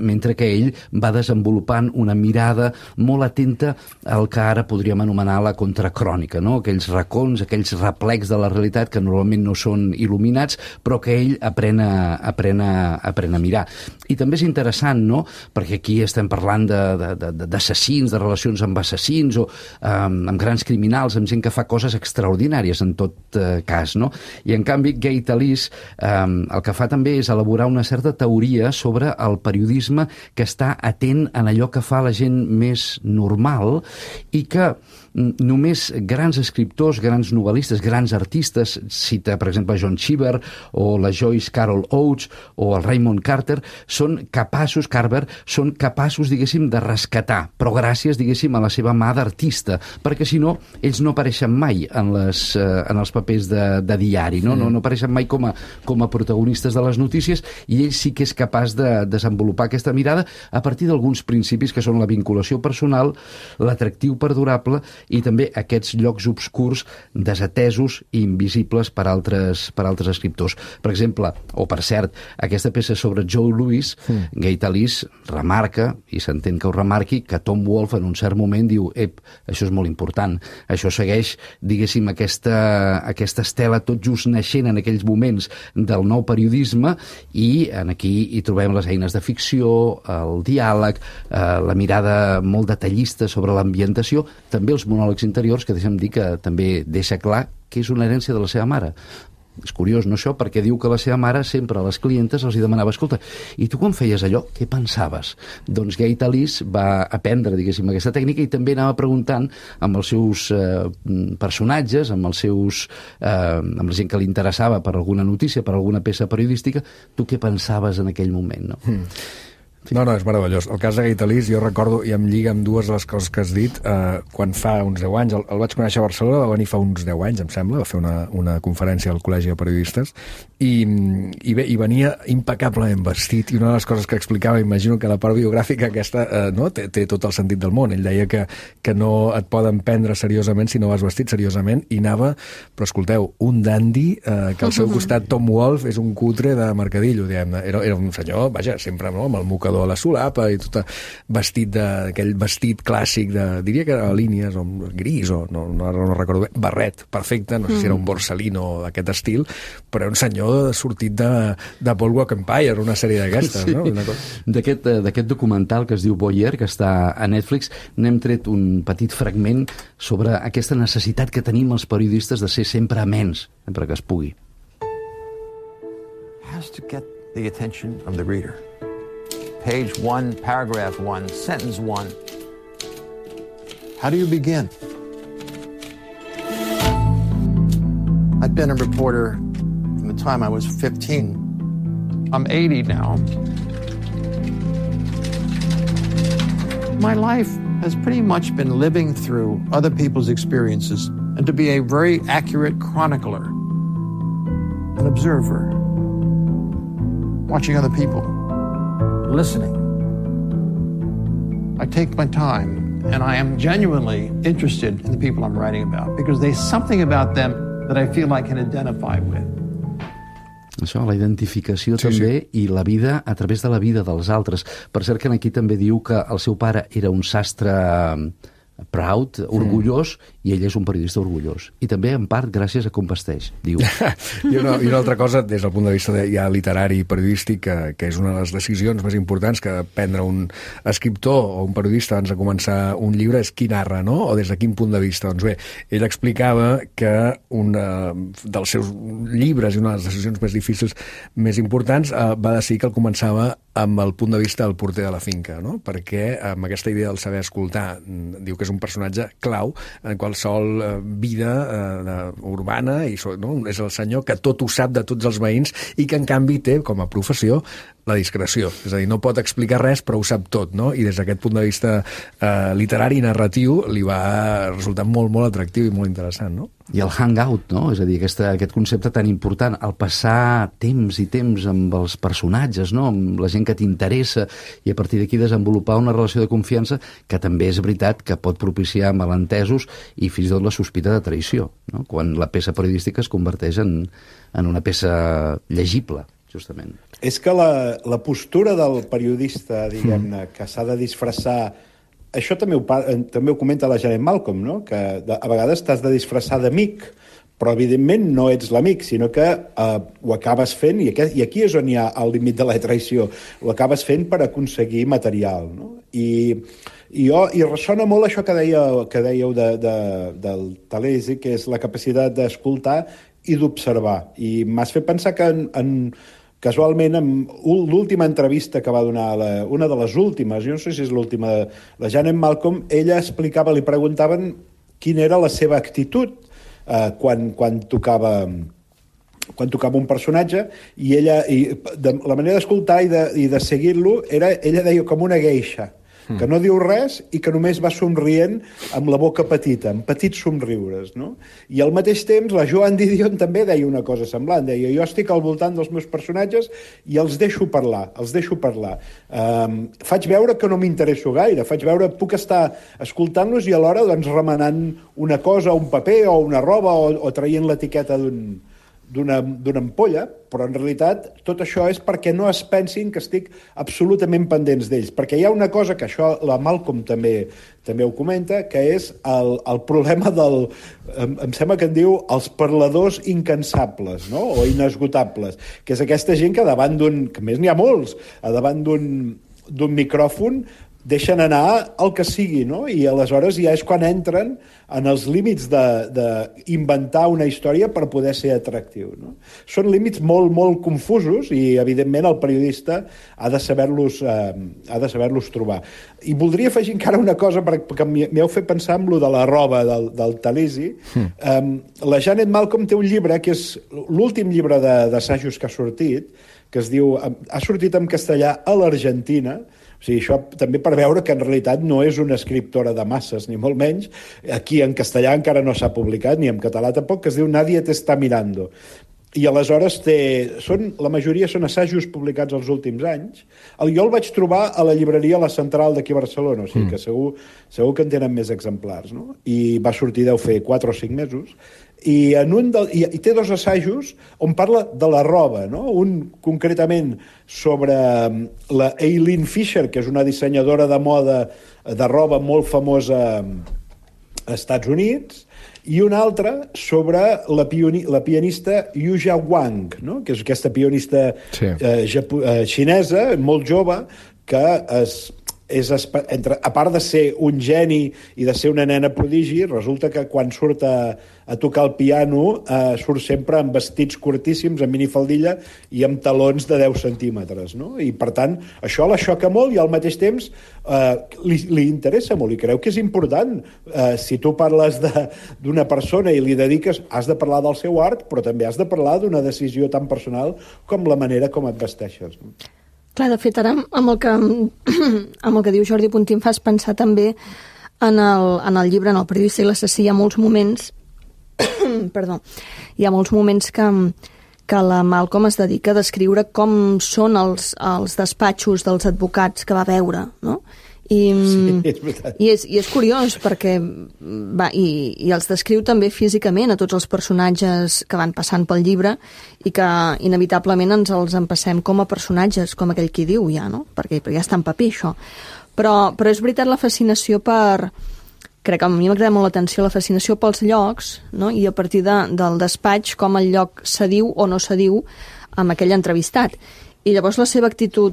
mentre que ell va desenvolupant una mirada molt atenta el que ara podríem anomenar la contracrònica, no? Aquells racons, aquells replecs de la realitat que normalment no són il·luminats, però que ell aprèn a mirar. I també és interessant, no? Perquè aquí estem parlant d'assassins, de relacions amb assassins, o amb grans criminals, amb gent que fa coses extraordinàries en tot cas, no? I en canvi Gai Talese el que fa també és elaborar una certa teoria sobre el periodisme que està atent en allò que fa la gent més normal, i que només grans escriptors, grans novel·listes, grans artistes, cita per exemple John Cheever o la Joyce Carol Oates o el Raymond Carver, són capaços, diguéssim, de rescatar, però gràcies, diguéssim, a la seva mà d'artista, perquè si no, ells no apareixen mai en els papers de diari, no apareixen mai com a protagonistes de les notícies, i ell sí que és capaç de desenvolupar aquesta mirada a partir d'alguns principis que són la vinculació personal, l'atractiu perdurable i també aquests llocs obscurs desatesos i invisibles per altres escriptors. Per exemple, o per cert, aquesta peça sobre Joe Louis, Gai Talese remarca, i s'entén que ho remarqui, que Tom Wolfe en un cert moment diu: això és molt important, això segueix, diguéssim, aquesta estela tot just naixent en aquells moments del nou periodisme, i aquí hi trobem les eines de ficció, el diàleg, la mirada molt detallista sobre l'ambientació, també els monòlegs interiors, que deixa'm dir que també deixa clar que és una herència de la seva mare. És curiós, no, això? Perquè diu que la seva mare sempre a les clientes els hi demanava: escolta, i tu quan feies allò, què pensaves? Doncs Gai Talese va aprendre, diguéssim, aquesta tècnica, i també anava preguntant amb els seus personatges, amb la gent que li interessava per alguna notícia, per alguna peça periodística, tu què pensaves en aquell moment, no? No, és meravellós. El cas de Gai Talese, jo recordo, i em lliga amb dues de les coses que has dit, quan fa uns 10 anys, el vaig conèixer a Barcelona, va venir fa uns 10 anys, em sembla, va fer una conferència al Col·legi de Periodistes, i venia impecablement vestit, i una de les coses que explicava, imagino que la part biogràfica aquesta té tot el sentit del món. Ell deia que no et poden prendre seriosament si no vas vestit seriosament, i anava, però escolteu, un dandy, que al seu costat Tom Wolfe és un cutre de mercadillo, diguem-ne. Era un senyor, vaja, sempre amb el mocador a la solapa i tot vestit d'aquell vestit clàssic diria que era línies o gris o no recordo bé, barret, perfecte, no sé si era un Borsalino d'aquest estil, però un senyor sortit de Boardwalk Empire, una sèrie d'aquestes, no? D'aquest documental que es diu Boyer, que està a Netflix, n'hem tret un petit fragment sobre aquesta necessitat que tenim els periodistes de ser sempre amens, sempre que es pugui. Has to get the attention of the reader. Page 1, paragraph 1, sentence 1. How do you begin? I've been a reporter from the time I was 15. I'm 80 now. My life has pretty much been living through other people's experiences and to be a very accurate chronicler, an observer, watching other people, listening. I take my time and I am genuinely interested in the people I'm writing about because there's something about them that I feel I can identify with. Això, la identificació també i la vida a través de la vida dels altres. Per cert que aquí també diu que el seu pare era un sastre proud, orgullós, i ell és un periodista orgullós. I també, en part, gràcies a com vesteix, diu. I una altra cosa, des del punt de vista ja literari i periodístic, que és una de les decisions més importants que prendre un escriptor o un periodista abans de començar un llibre, és qui narra, no? O des de quin punt de vista. Doncs bé, ell explicava que un dels seus llibres i una de les decisions més difícils, més importants, va decidir que el començava amb el punt de vista del porter de la finca, no? Perquè amb aquesta idea del saber escoltar, diu que és un personatge clau en qualsevol vida urbana, i no? És el senyor que tot ho sap de tots els veïns i que en canvi té com a professió la discreció, és a dir, no pot explicar res però ho sap tot, no? I des d'aquest punt de vista literari i narratiu li va resultar molt, molt atractiu i molt interessant, no? I el hangout, no? És a dir, aquest concepte tan important, el passar temps i temps amb els personatges, no? Amb la gent que t'interessa, i a partir d'aquí desenvolupar una relació de confiança que també és veritat que pot propiciar malentesos i fins i tot la sospita de traïció, no? Quan la peça periodística es converteix en una peça llegible, justament. És que la postura del periodista, diguem-ne, que s'ha de disfressar. Això també ho comenta la Janet Malcolm, no? Que a vegades t'has de disfressar d'amic, però evidentment no ets l'amic, sinó que ho acabes fent, i aquí és on hi ha el límit de la traïció, ho acabes fent per aconseguir material, no? I ressona molt això que dèieu del Talesi, que és la capacitat d'escoltar i d'observar. I m'has fet pensar que casualment, en l'última entrevista que va donar, una de les últimes, jo no sé si és l'última, la Janet Malcolm, ella explicava, li preguntaven quina era la seva actitud quan tocava un personatge, i ella, la manera d'escoltar i de seguir-lo, ella deia com una geisha, que no diu res i que només va somrient amb la boca petita, amb petits somriures, no? I al mateix temps la Joan Didion també deia una cosa semblant, deia, jo estic al voltant dels meus personatges i els deixo parlar. Faig veure que no m'interesso gaire, puc estar escoltant-los i alhora doncs remenant una cosa, un paper o una roba o traient l'etiqueta d'una ampolla, però en realitat tot això és perquè no es pensin que estic absolutament pendents d'ells, perquè hi ha una cosa que això la Malcolm també ho comenta, que és el problema em sembla que en diu els parladors incansables, no? O inesgotables, que és aquesta gent que davant que més n'hi ha molts, davant d'un micròfon deixen anar el que sigui, no? I aleshores ja és quan entren en els límits d'inventar una història per poder ser atractiu, no? Són límits molt, molt confusos i, evidentment, el periodista ha de saber-los trobar. I voldria afegir encara una cosa, perquè m'heu fet pensar en lo de la roba del Talesi. La Janet Malcolm té un llibre, que és l'últim llibre d'assajos que ha sortit, que es diu, ha sortit en castellà a l'Argentina. O sigui, això també per veure que en realitat no és una escriptora de masses, ni molt menys. Aquí en castellà encara no s'ha publicat, ni en català tampoc, que es diu Nadie te está mirando. I aleshores la majoria són assajos publicats els últims anys. Jo el vaig trobar a la llibreria La Central d'aquí a Barcelona, o sigui que segur que en tenen més exemplars, no? I va sortir, deu fer 4 o 5 mesos. I té 2 assajos on parla de la roba, no? Un concretament sobre la Eileen Fisher, que és una dissenyadora de moda de roba molt famosa als Estats Units, i un altre sobre la pianista Yuja Wang, no? Que és aquesta pianista xinesa, molt jove, que a part de ser un geni i de ser una nena prodigi, resulta que quan surt a tocar el piano surt sempre amb vestits curtíssims, amb minifaldilla i amb talons de 10 centímetres, no? I per tant això la xoca molt i al mateix temps li interessa molt i creu que és important. Si tu parles d'una persona i li dediques, has de parlar del seu art, però també has de parlar d'una decisió tan personal com la manera com et vesteixes, no? Clar, de fet, ara amb el que diu Jordi Puntí em fas pensar també en el llibre, en el periodista i l'assassí, hi ha molts moments perdó, hi ha molts moments que la Malcolm es dedica a descriure com són els despatxos dels advocats que va veure, no? Sí, és veritat. I és curiós perquè i els descriu també físicament a tots els personatges que van passant pel llibre i que inevitablement ens els empassem com a personatges, com aquell qui diu ja, no? Perquè ja està en paper això. Però és veritat la fascinació crec que a mi m'agrada molt l'atenció, la fascinació pels llocs, no? I a partir del despatx com el lloc s'adiu o no s'adiu amb aquell entrevistat. I llavors la seva actitud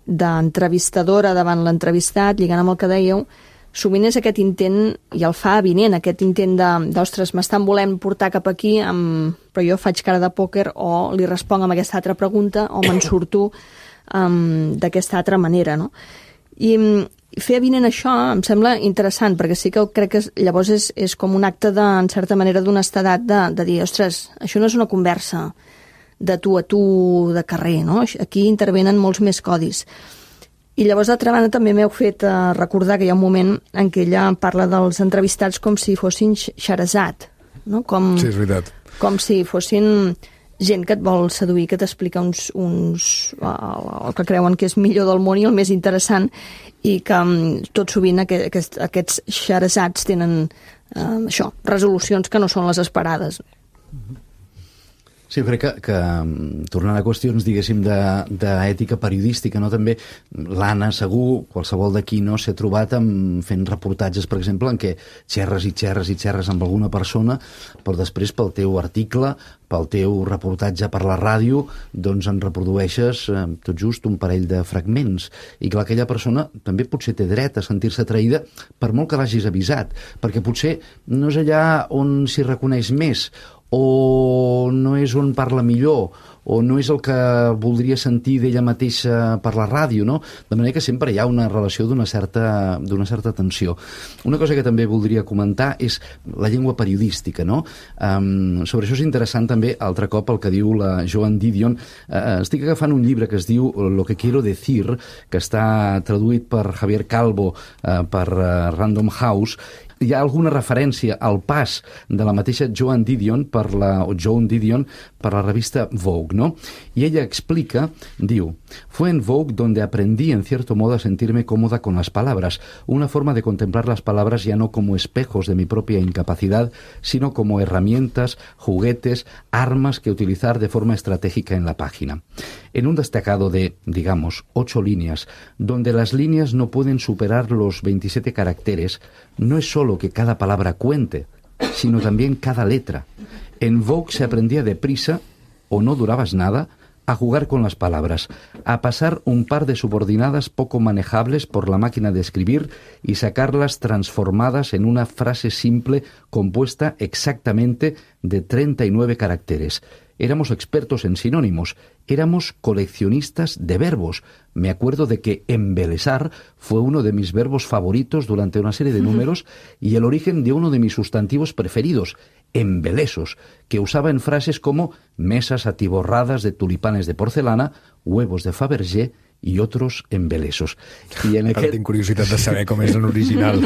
d'entrevistadora davant l'entrevistat, lligant amb el que dèieu, sovint és aquest intent, i el fa avinent, aquest intent d'ostres, m'estan volent portar cap aquí, però jo faig cara de pòquer o li responc amb aquesta altra pregunta o me'n surto d'aquesta altra manera, no? I fer avinent això em sembla interessant, perquè sí que crec que llavors és com un acte, en certa manera, d'honestedat de dir, ostres, això no és una conversa de tu a tu de carrer, no? Aquí intervenen molts més codis. I llavors, d'altra banda, també m'heu fet recordar que hi ha un moment en què ella parla dels entrevistats com si fossin Xerezat, no? Sí, és veritat. Com si fossin gent que et vol seduir, que t'explica el que creuen que és millor del món i el més interessant, i que tot sovint aquests Xerezats tenen resolucions que no són les esperades. Sí, jo crec que tornant a qüestions, diguéssim, d'ètica periodística, no? També l'Anna, segur, qualsevol d'aquí, no, s'ha trobat fent reportatges, per exemple, en què xerres i xerres i xerres amb alguna persona, però després pel teu article, pel teu reportatge per la ràdio, doncs en reprodueixes tot just un parell de fragments. I clar, aquella persona també potser té dret a sentir-se atraïda per molt que l'hagis avisat, perquè potser no és allà on s'hi reconeix més, o no és on parla millor, o no és el que voldria sentir d'ella mateixa per la ràdio, no? De manera que sempre hi ha una relació d'una certa tensió. Una cosa que també voldria comentar és la llengua periodística, no? Sobre això és interessant també, altre cop, el que diu la Joan Didion. Estic agafant un llibre que es diu Lo que quiero decir, que està traduït per Javier Calvo per Random House. Hi ha alguna referència al pas de la mateixa Joan Didion per la revista Vogue, ¿no? Y ella explica, diu, fue en Vogue donde aprendí en cierto modo a sentirme cómoda con las palabras, una forma de contemplar las palabras ya no como espejos de mi propia incapacidad, sino como herramientas, juguetes, armas que utilizar de forma estratégica en la página. En un destacado de, digamos, 8 líneas, donde las líneas no pueden superar los 27 caracteres, no es solo que cada palabra cuente, sino también cada letra. En Vogue se aprendía deprisa, o no durabas nada, a jugar con las palabras, a pasar un par de subordinadas poco manejables por la máquina de escribir y sacarlas transformadas en una frase simple compuesta exactamente de 39 caracteres. Éramos expertos en sinónimos, éramos coleccionistas de verbos. Me acuerdo de que embelesar fue uno de mis verbos favoritos durante una serie de números y el origen de uno de mis sustantivos preferidos, embelesos, que usaba en frases como mesas atiborradas de tulipanes de porcelana, huevos de Fabergé i otros embelesos. I en Ara tinc curiositat de saber com és en original.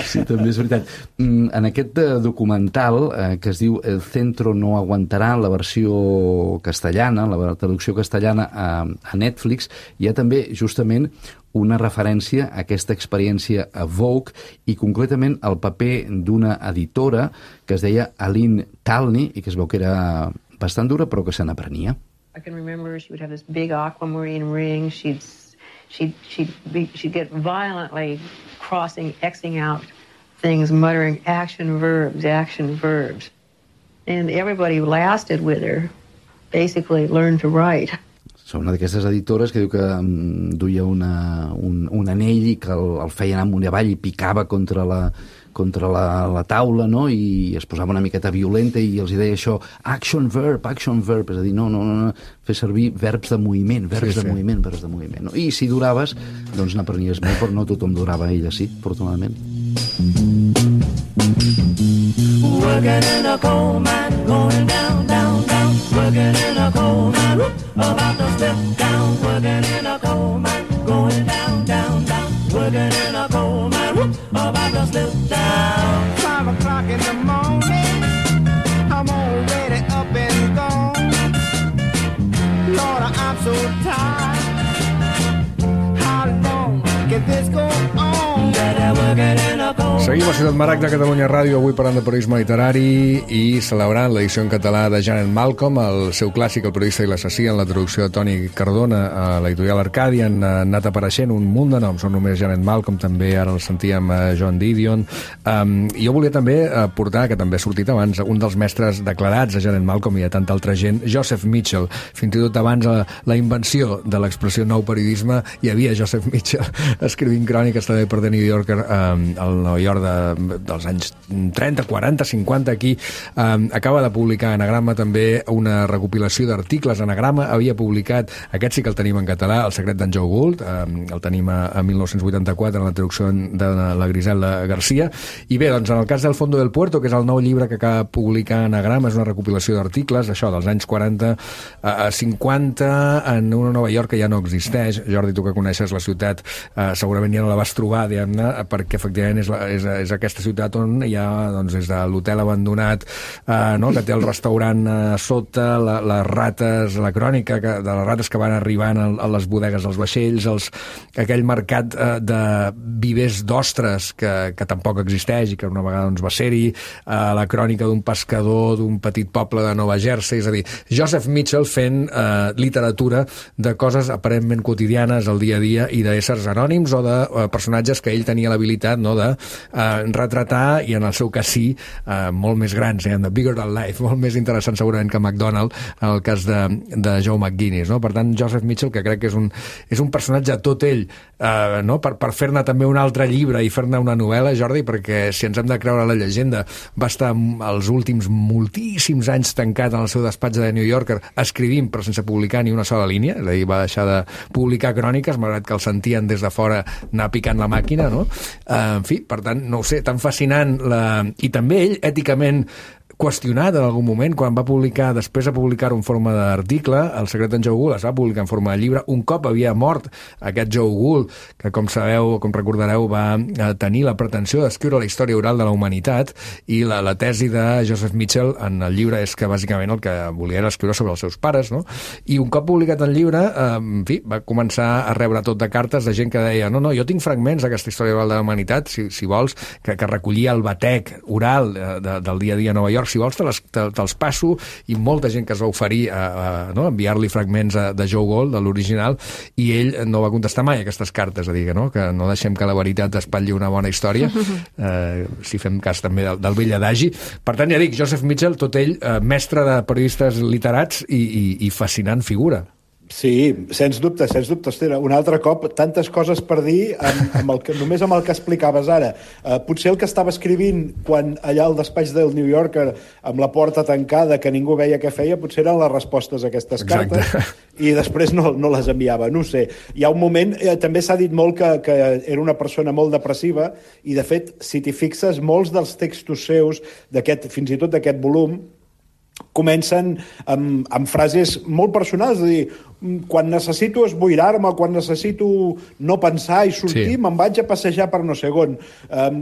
Sí, també és veritat. En aquest documental que es diu El centro no aguantará, la versió castellana, la traducció castellana a Netflix, hi ha també justament una referència a aquesta experiència a Vogue i concretament al paper d'una editora que es deia Aline Talney i que es veu que era bastant dura però que se n'aprenia. I can remember she would have this big aquamarine ring. She'd get violently Xing out things, muttering action verbs. And everybody who lasted with her basically learned to write. Són una d'aquestes editores que diu que duia un anell i que el feien amunt i avall i picava contra la taula, no? I es posava una miqueta violenta i els deia això, action verb, és a dir, no, fer servir verbs de moviment, verbs de moviment. No? I si duraves, doncs n'aprenies molt, però no tothom durava, ella sí, afortunadament. Working in a coal mine, going down, down, down. Working in a coal mine, about to step down. Working in Seguim a Ciutat Maragda, Catalunya Ràdio, avui parlant de periodisme literari i celebrant l'edició en català de Janet Malcolm, el seu clàssic, El periodista i l'assassí, en la traducció de Toni Cardona a l'editorial Arcàdia. Han anat apareixent un munt de noms, són només Janet Malcolm, també ara el sentíem Joan Didion. Jo volia també portar, que també ha sortit abans, un dels mestres declarats a Janet Malcolm i a tanta altra gent, Joseph Mitchell. Fins i tot abans la invenció de l'expressió nou periodisme, hi havia Joseph Mitchell escrivint cròniques també per The New Yorker, al Nova York dels anys 30, 40, 50 aquí. Acaba de publicar Anagrama també una recopilació d'articles. Anagrama havia publicat, aquest sí que el tenim en català, El secret d'en Joe Gould, el tenim a 1984 en la traducció de la Griselda Garcia. I bé, doncs en el cas del Fondo del Puerto, que és el nou llibre que acaba de publicar Anagrama, és una recopilació d'articles, això, dels anys 40 a 50, en una Nova York que ja no existeix. Jordi, tu que coneixes la ciutat, segurament ja no la vas trobar, diguem-ne, perquè efectivament és aquesta ciutat on hi ha, doncs, des de l'hotel abandonat, no?, que té el restaurant a sota, les rates, la crònica de les rates que van arribant a les bodegues dels vaixells, aquell mercat de vivers d'ostres que tampoc existeix i que una vegada doncs, va ser-hi, la crònica d'un pescador d'un petit poble de Nova Jersey. És a dir, Joseph Mitchell fent literatura de coses aparentment quotidianes al dia a dia i d'éssers anònims o de personatges que ell tenia l'habilitat, no?, de retratar, i en el seu cas sí, molt més grans, de bigger than life, molt més interessant segurament que McDonald, en el cas de Joe McGuinness, no? Per tant, Joseph Mitchell, que crec que és un personatge tot ell, no?, per fer-ne també un altre llibre i fer-ne una novel·la, Jordi, perquè si ens hem de creure la llegenda, va estar els últims moltíssims anys tancat en el seu despatx de New Yorker escrivint però sense publicar ni una sola línia, és a dir, va deixar de publicar cròniques, malgrat que el sentien des de fora anar picant la màquina, no? En fi, per tant, no ho sé, tan fascinant i també ell, èticament qüestionat en algun moment, quan va publicar, després de publicar-ho en forma d'article, El secret d'en Joe Gould es va publicar en forma de llibre. Un cop havia mort aquest Joe Gould, que com sabeu, com recordareu, va tenir la pretensió d'escriure la història oral de la humanitat, i la tesi de Joseph Mitchell en el llibre és que bàsicament el que volia era escriure sobre els seus pares, no? I un cop publicat el llibre, en fi, va començar a rebre tot de cartes de gent que deia no, jo tinc fragments d'aquesta història oral de la humanitat, si vols, que recollia el batec oral del dia a dia a Nova York, si vols te'ls passo, i molta gent que es va oferir a enviar-li fragments de Joe Gould, de l'original, i ell no va contestar mai aquestes cartes, a dir que no deixem que la veritat espatlli una bona història, si fem cas també del vell adagi. Per tant, ja dic, Joseph Mitchell, tot ell, mestre de periodistes literats i fascinant figura. Sí, sens dubte, Esther. Un altre cop, tantes coses per dir només amb el que explicaves ara. Potser el que estava escrivint quan allà al despatx del New Yorker, amb la porta tancada, que ningú veia què feia, potser eren les respostes a aquestes cartes. Exacte. I després no les enviava, no ho sé. Hi ha un moment, també s'ha dit molt que era una persona molt depressiva, i de fet, si t'hi fixes, molts dels textos seus, fins i tot d'aquest volum, comencen amb frases molt personals, és a dir, quan necessito esboirar-me, quan necessito no pensar i sortir, me'n vaig a passejar per no sé on.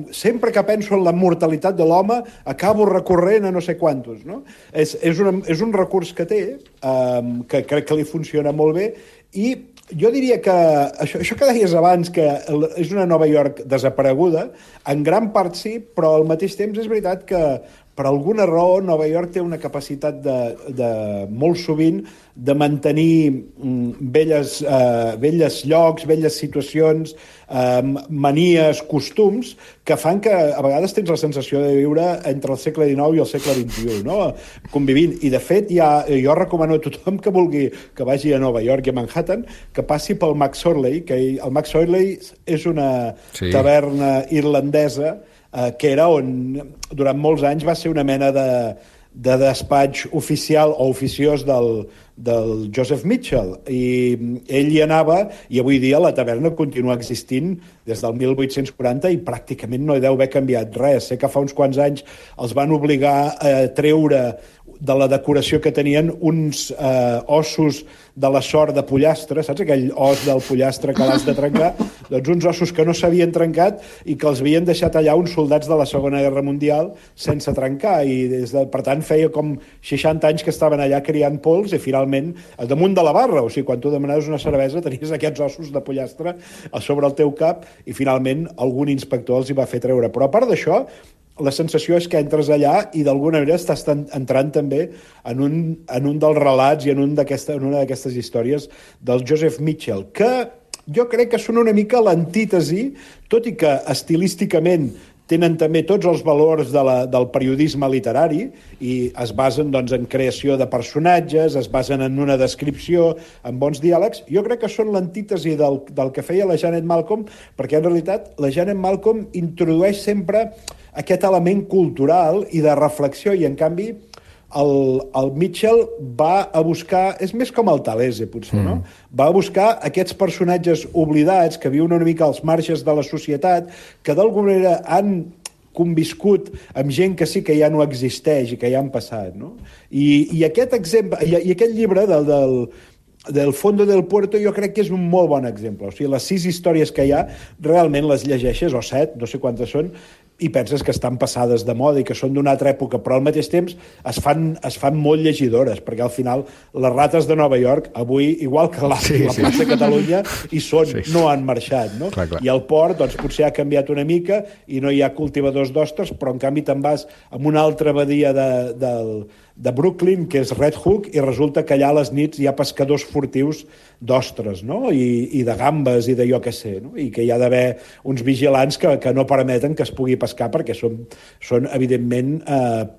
Sempre que penso en la mortalitat de l'home, acabo recorrent a no sé quantos, no? És un recurs que té, que crec que li funciona molt bé, i jo diria que això que deies abans, que és una Nova York desapareguda, en gran part sí, però al mateix temps és veritat que per alguna raó Nova York té una capacitat de molt sovint de mantenir velles llocs, velles situacions, manies, costums, que fan que a vegades tens la sensació de viure entre el segle XIX i el segle XXI, no? Convivint. I de fet, jo recomano a tothom que vagi a Nova York i a Manhattan, que passi pel Max Orley, que el Max Orley és una taverna irlandesa que era on durant molts anys va ser una mena de despatx oficial o oficiós del Joseph Mitchell, i ell hi anava, i avui dia la taverna continua existint des del 1840 i pràcticament no hi deu haver canviat res. Sé que fa uns quants anys els van obligar a treure de la decoració que tenien uns ossos de la sort de pollastre, saps aquell os del pollastre que l'has de trencar? Doncs uns ossos que no s'havien trencat i que els havien deixat allà uns soldats de la Segona Guerra Mundial sense trencar, i per tant feia com 60 anys que estaven allà criant pols i finalment damunt de la barra, o sigui, quan tu demanaves una cervesa tenies aquests ossos de pollastre a sobre el teu cap i finalment algun inspector els hi va fer treure. Però a part d'això, la sensació és que entres allà i d'alguna manera estàs entrant també en un dels relats i en una d'aquestes històries del Joseph Mitchell, que jo crec que són una mica l'antítesi, tot i que estilísticament tenen també tots els valors del periodisme literari i es basen doncs, en creació de personatges, es basen en una descripció, en bons diàlegs. Jo crec que són l'antítesi del que feia la Janet Malcolm, perquè en realitat la Janet Malcolm introdueix sempre aquest element cultural i de reflexió, i en canvi el Mitchell va a buscar, és més com el Talese potser, no? Va a buscar aquests personatges oblidats que viuen una mica als marges de la societat, que d'alguna manera han conviscut amb gent que sí que ja no existeix i que ja han passat, no? I aquest exemple, i aquest llibre del Fondo del Puerto jo crec que és un molt bon exemple. O sigui, les 6 històries que hi ha realment les llegeixes, o 7, no sé quantes són, i penses que estan passades de moda i que són d'una altra època, però al mateix temps es fan molt llegidores, perquè al final les rates de Nova York avui, igual que la plaça de Catalunya, hi són, no han marxat, no? Clar. I el port, doncs, potser ha canviat una mica i no hi ha cultivadors d'ostres, però en canvi te'n vas a una altra badia de Brooklyn, que és Red Hook, i resulta que allà a les nits hi ha pescadors furtius d'ostres, no? I de gambes i de jo què sé, no? I que hi ha d'haver uns vigilants que no permeten que es pugui pescar perquè són evidentment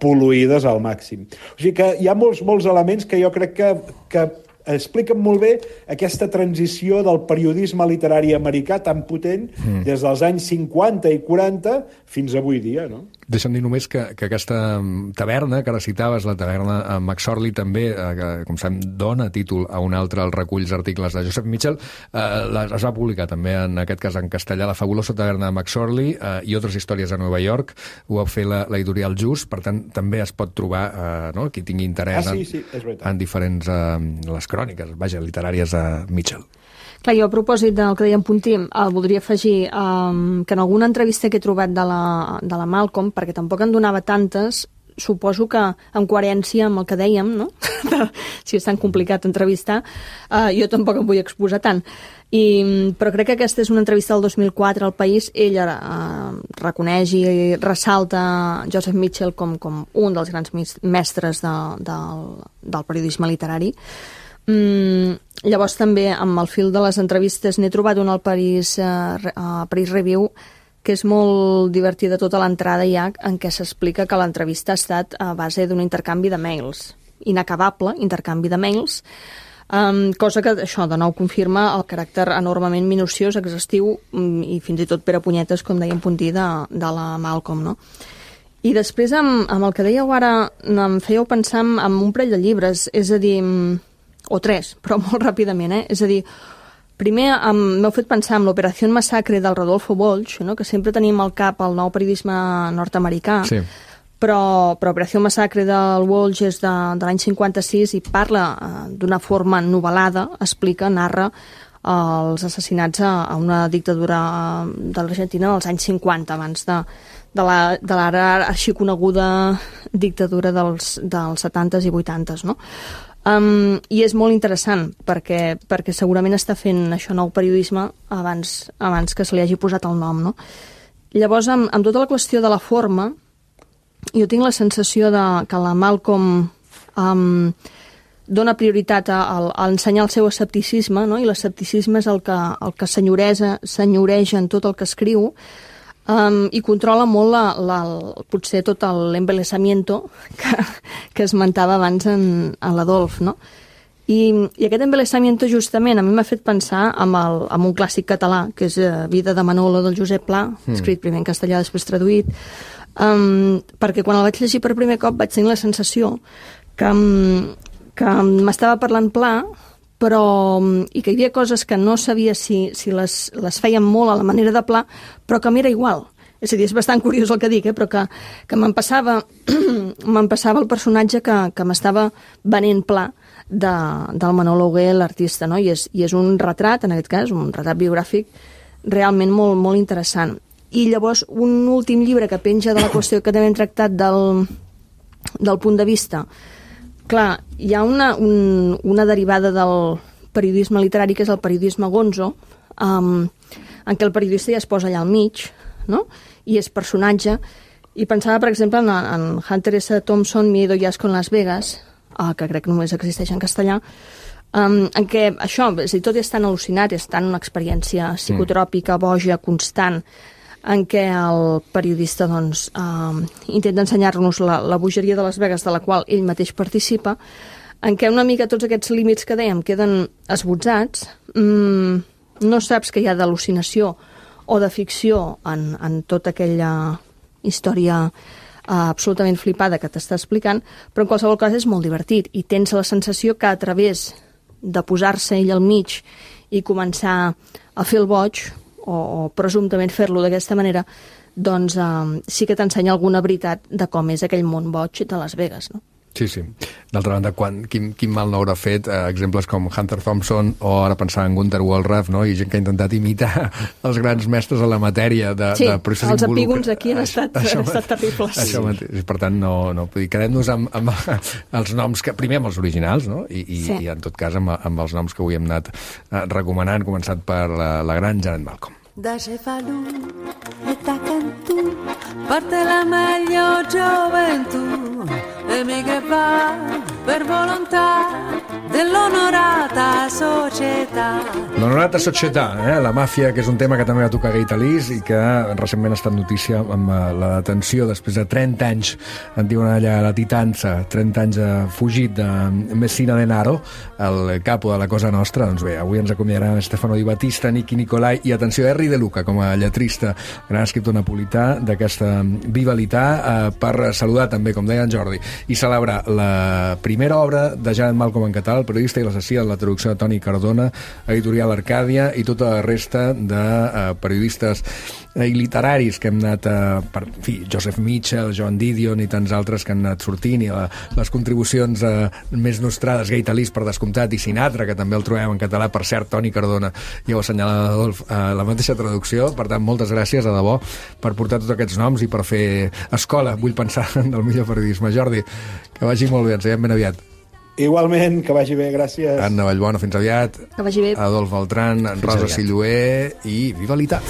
pol·luïdes al màxim. O sigui que hi ha molts elements que jo crec que expliquen molt bé aquesta transició del periodisme literari americà tan potent des dels anys 50 i 40 fins avui dia, no? Deixa'm dir només que aquesta taverna, que ara citaves, la taverna McSorley també, que, com sabem, dona títol a un altre als reculls articles de Joseph Mitchell, es va publicar també, en aquest cas en castellà, La fabulosa taverna de McSorley i altres històries a Nova York. Ho va fer l'editorial Just, per tant, també es pot trobar, no?, qui tingui interès en diferents les cròniques, vaja, literàries de Mitchell. Clar, jo a propòsit del que deia en Puntí, voldria afegir que en alguna entrevista que he trobat de la Malcolm, perquè tampoc en donava tantes, suposo que en coherència amb el que dèiem, no? Si és tan complicat entrevistar, jo tampoc em vull exposar tant. Però crec que aquesta és una entrevista del 2004 al País. Ella reconeix i ressalta Joseph Mitchell com un dels grans mestres del periodisme literari. Llavors també amb el fil de les entrevistes n'he trobat una al Paris Review que és molt divertida, tota l'entrada ja, en què s'explica que l'entrevista ha estat a base d'un intercanvi de mails, inacabable intercanvi de mails, cosa que això de nou confirma el caràcter enormement minuciós, exhaustiu i fins i tot per a punyetes, com deia en Puntí, de la Malcolm, no? I després amb el que dèieu ara em fèieu pensar en un parell de llibres, és a dir, o 3, però molt ràpidament, És a dir, primer m'heu fet pensar en l'Operació Massacre del Rodolfo Walsh, no? Que sempre tenim al cap el nou periodisme nord-americà, sí. Però Operació Massacre del Walsh és de l'any 56 i parla d'una forma novel·lada, explica, narra els assassinats a una dictadura de l'Argentina dels anys 50, abans de l'ara arxiconeguda dictadura dels 70s i 80s, no? I és molt interessant perquè segurament està fent això nou periodisme abans que se li hagi posat el nom, no? Llavors, amb tota la qüestió de la forma, jo tinc la sensació que la Malcolm dona prioritat a ensenyar el seu escepticisme, no? I l'escepticisme és el que senyoreja en tot el que escriu, i controla molt potser tot l'embelesamiento que esmentava abans en l'Adolf, no? I aquest embelesamiento justament a mi m'ha fet pensar en un clàssic català, que és Vida de Manolo del Josep Pla, escrit primer en castellà, després traduït, perquè quan el vaig llegir per primer cop vaig tenir la sensació que m'estava parlant Pla, i que hi havia coses que no sabia si les feien molt a la manera de Pla, però que m'era igual. És a dir, és bastant curiós el que dic, però que me'n passava el personatge que m'estava venent pla del Manolo Hugué, l'artista, no? I és un retrat, en aquest cas, un retrat biogràfic realment molt, molt interessant. I llavors, un últim llibre que penja de la qüestió que també hem tractat del punt de vista. Clar, hi ha una derivada del periodisme literari, que és el periodisme gonzo, en què el periodista ja es posa allà al mig, no? I és personatge. I pensava, per exemple, en Hunter S. Thompson, Miedo y Asco en Las Vegas, que crec que només existeix en castellà, en què això, és a dir, tot és tan al·lucinat, és tan una experiència psicotròpica, boja, constant, en què el periodista doncs, intenta ensenyar-nos la bogeria de Las Vegas, de la qual ell mateix participa, en què una mica tots aquests límits que dèiem queden esbotzats, no saps que hi ha d'al·lucinació o de ficció en tota aquella història absolutament flipada que t'està explicant, però en qualsevol cas és molt divertit i tens la sensació que a través de posar-se ell al mig i començar a fer el boig o presumptament fer-lo d'aquesta manera, doncs sí que t'ensenya alguna veritat de com és aquell món boig de Las Vegas, no? Sí, sí. D'altra banda, quin mal no haurà fet exemples com Hunter Thompson o ara pensar en Gunther Wohlraff, no? I gent que ha intentat imitar els grans mestres de la matèria. Sí, els epígons aquí han estat terribles. Això mateix. Per tant, no quedem-nos amb els noms, primer amb els originals, no? I en tot cas amb els noms que avui hem anat recomanant, començat per la gran Janet Malcolm. Da Cefalù e Tacantù parte la meglio gioventù e mi che va per volontà dell'onorata società. L'onorata società, la màfia, que és un tema que també va tocar Gai Talís i que recentment ha estat notícia amb la detenció després de 30 anys, en diuen allà la Titanza, 30 anys fugit de Messina Denaro, el capo de la Cosa Nostra. Doncs bé, avui ens acomiadarà Stefano Di Battista, Nicky Nicolai i, atenció, Henry De Luca, com a lletrista, gran escriptor napolità d'aquesta Vivalità, per saludar també, com deia en Jordi, i celebrar la primera obra de Janet Malcolm en català, El periodista i l'assassí, en la traducció de Toni Cardona, editorial Arcàdia, i tota la resta de periodistes i literaris que hem anat, Joseph Mitchell, Joan Didion i tants altres que han anat sortint, i les contribucions més nostrades, Gai Talís, per descomptat, i Sinatra, que també el trobem en català, per cert, Toni Cardona, ja ho assenyala Adolf, la mateixa traducció. Per tant, moltes gràcies, de debò, per portar tots aquests noms i per fer escola, vull pensar, del millor periodisme. Jordi, que vagi molt bé, ens veiem ben aviat. Igualment, que vagi bé, gràcies. Anna Vallbona, fins aviat. Que vagi bé. Adolf Beltran, Rosa Silloé i Vivalità.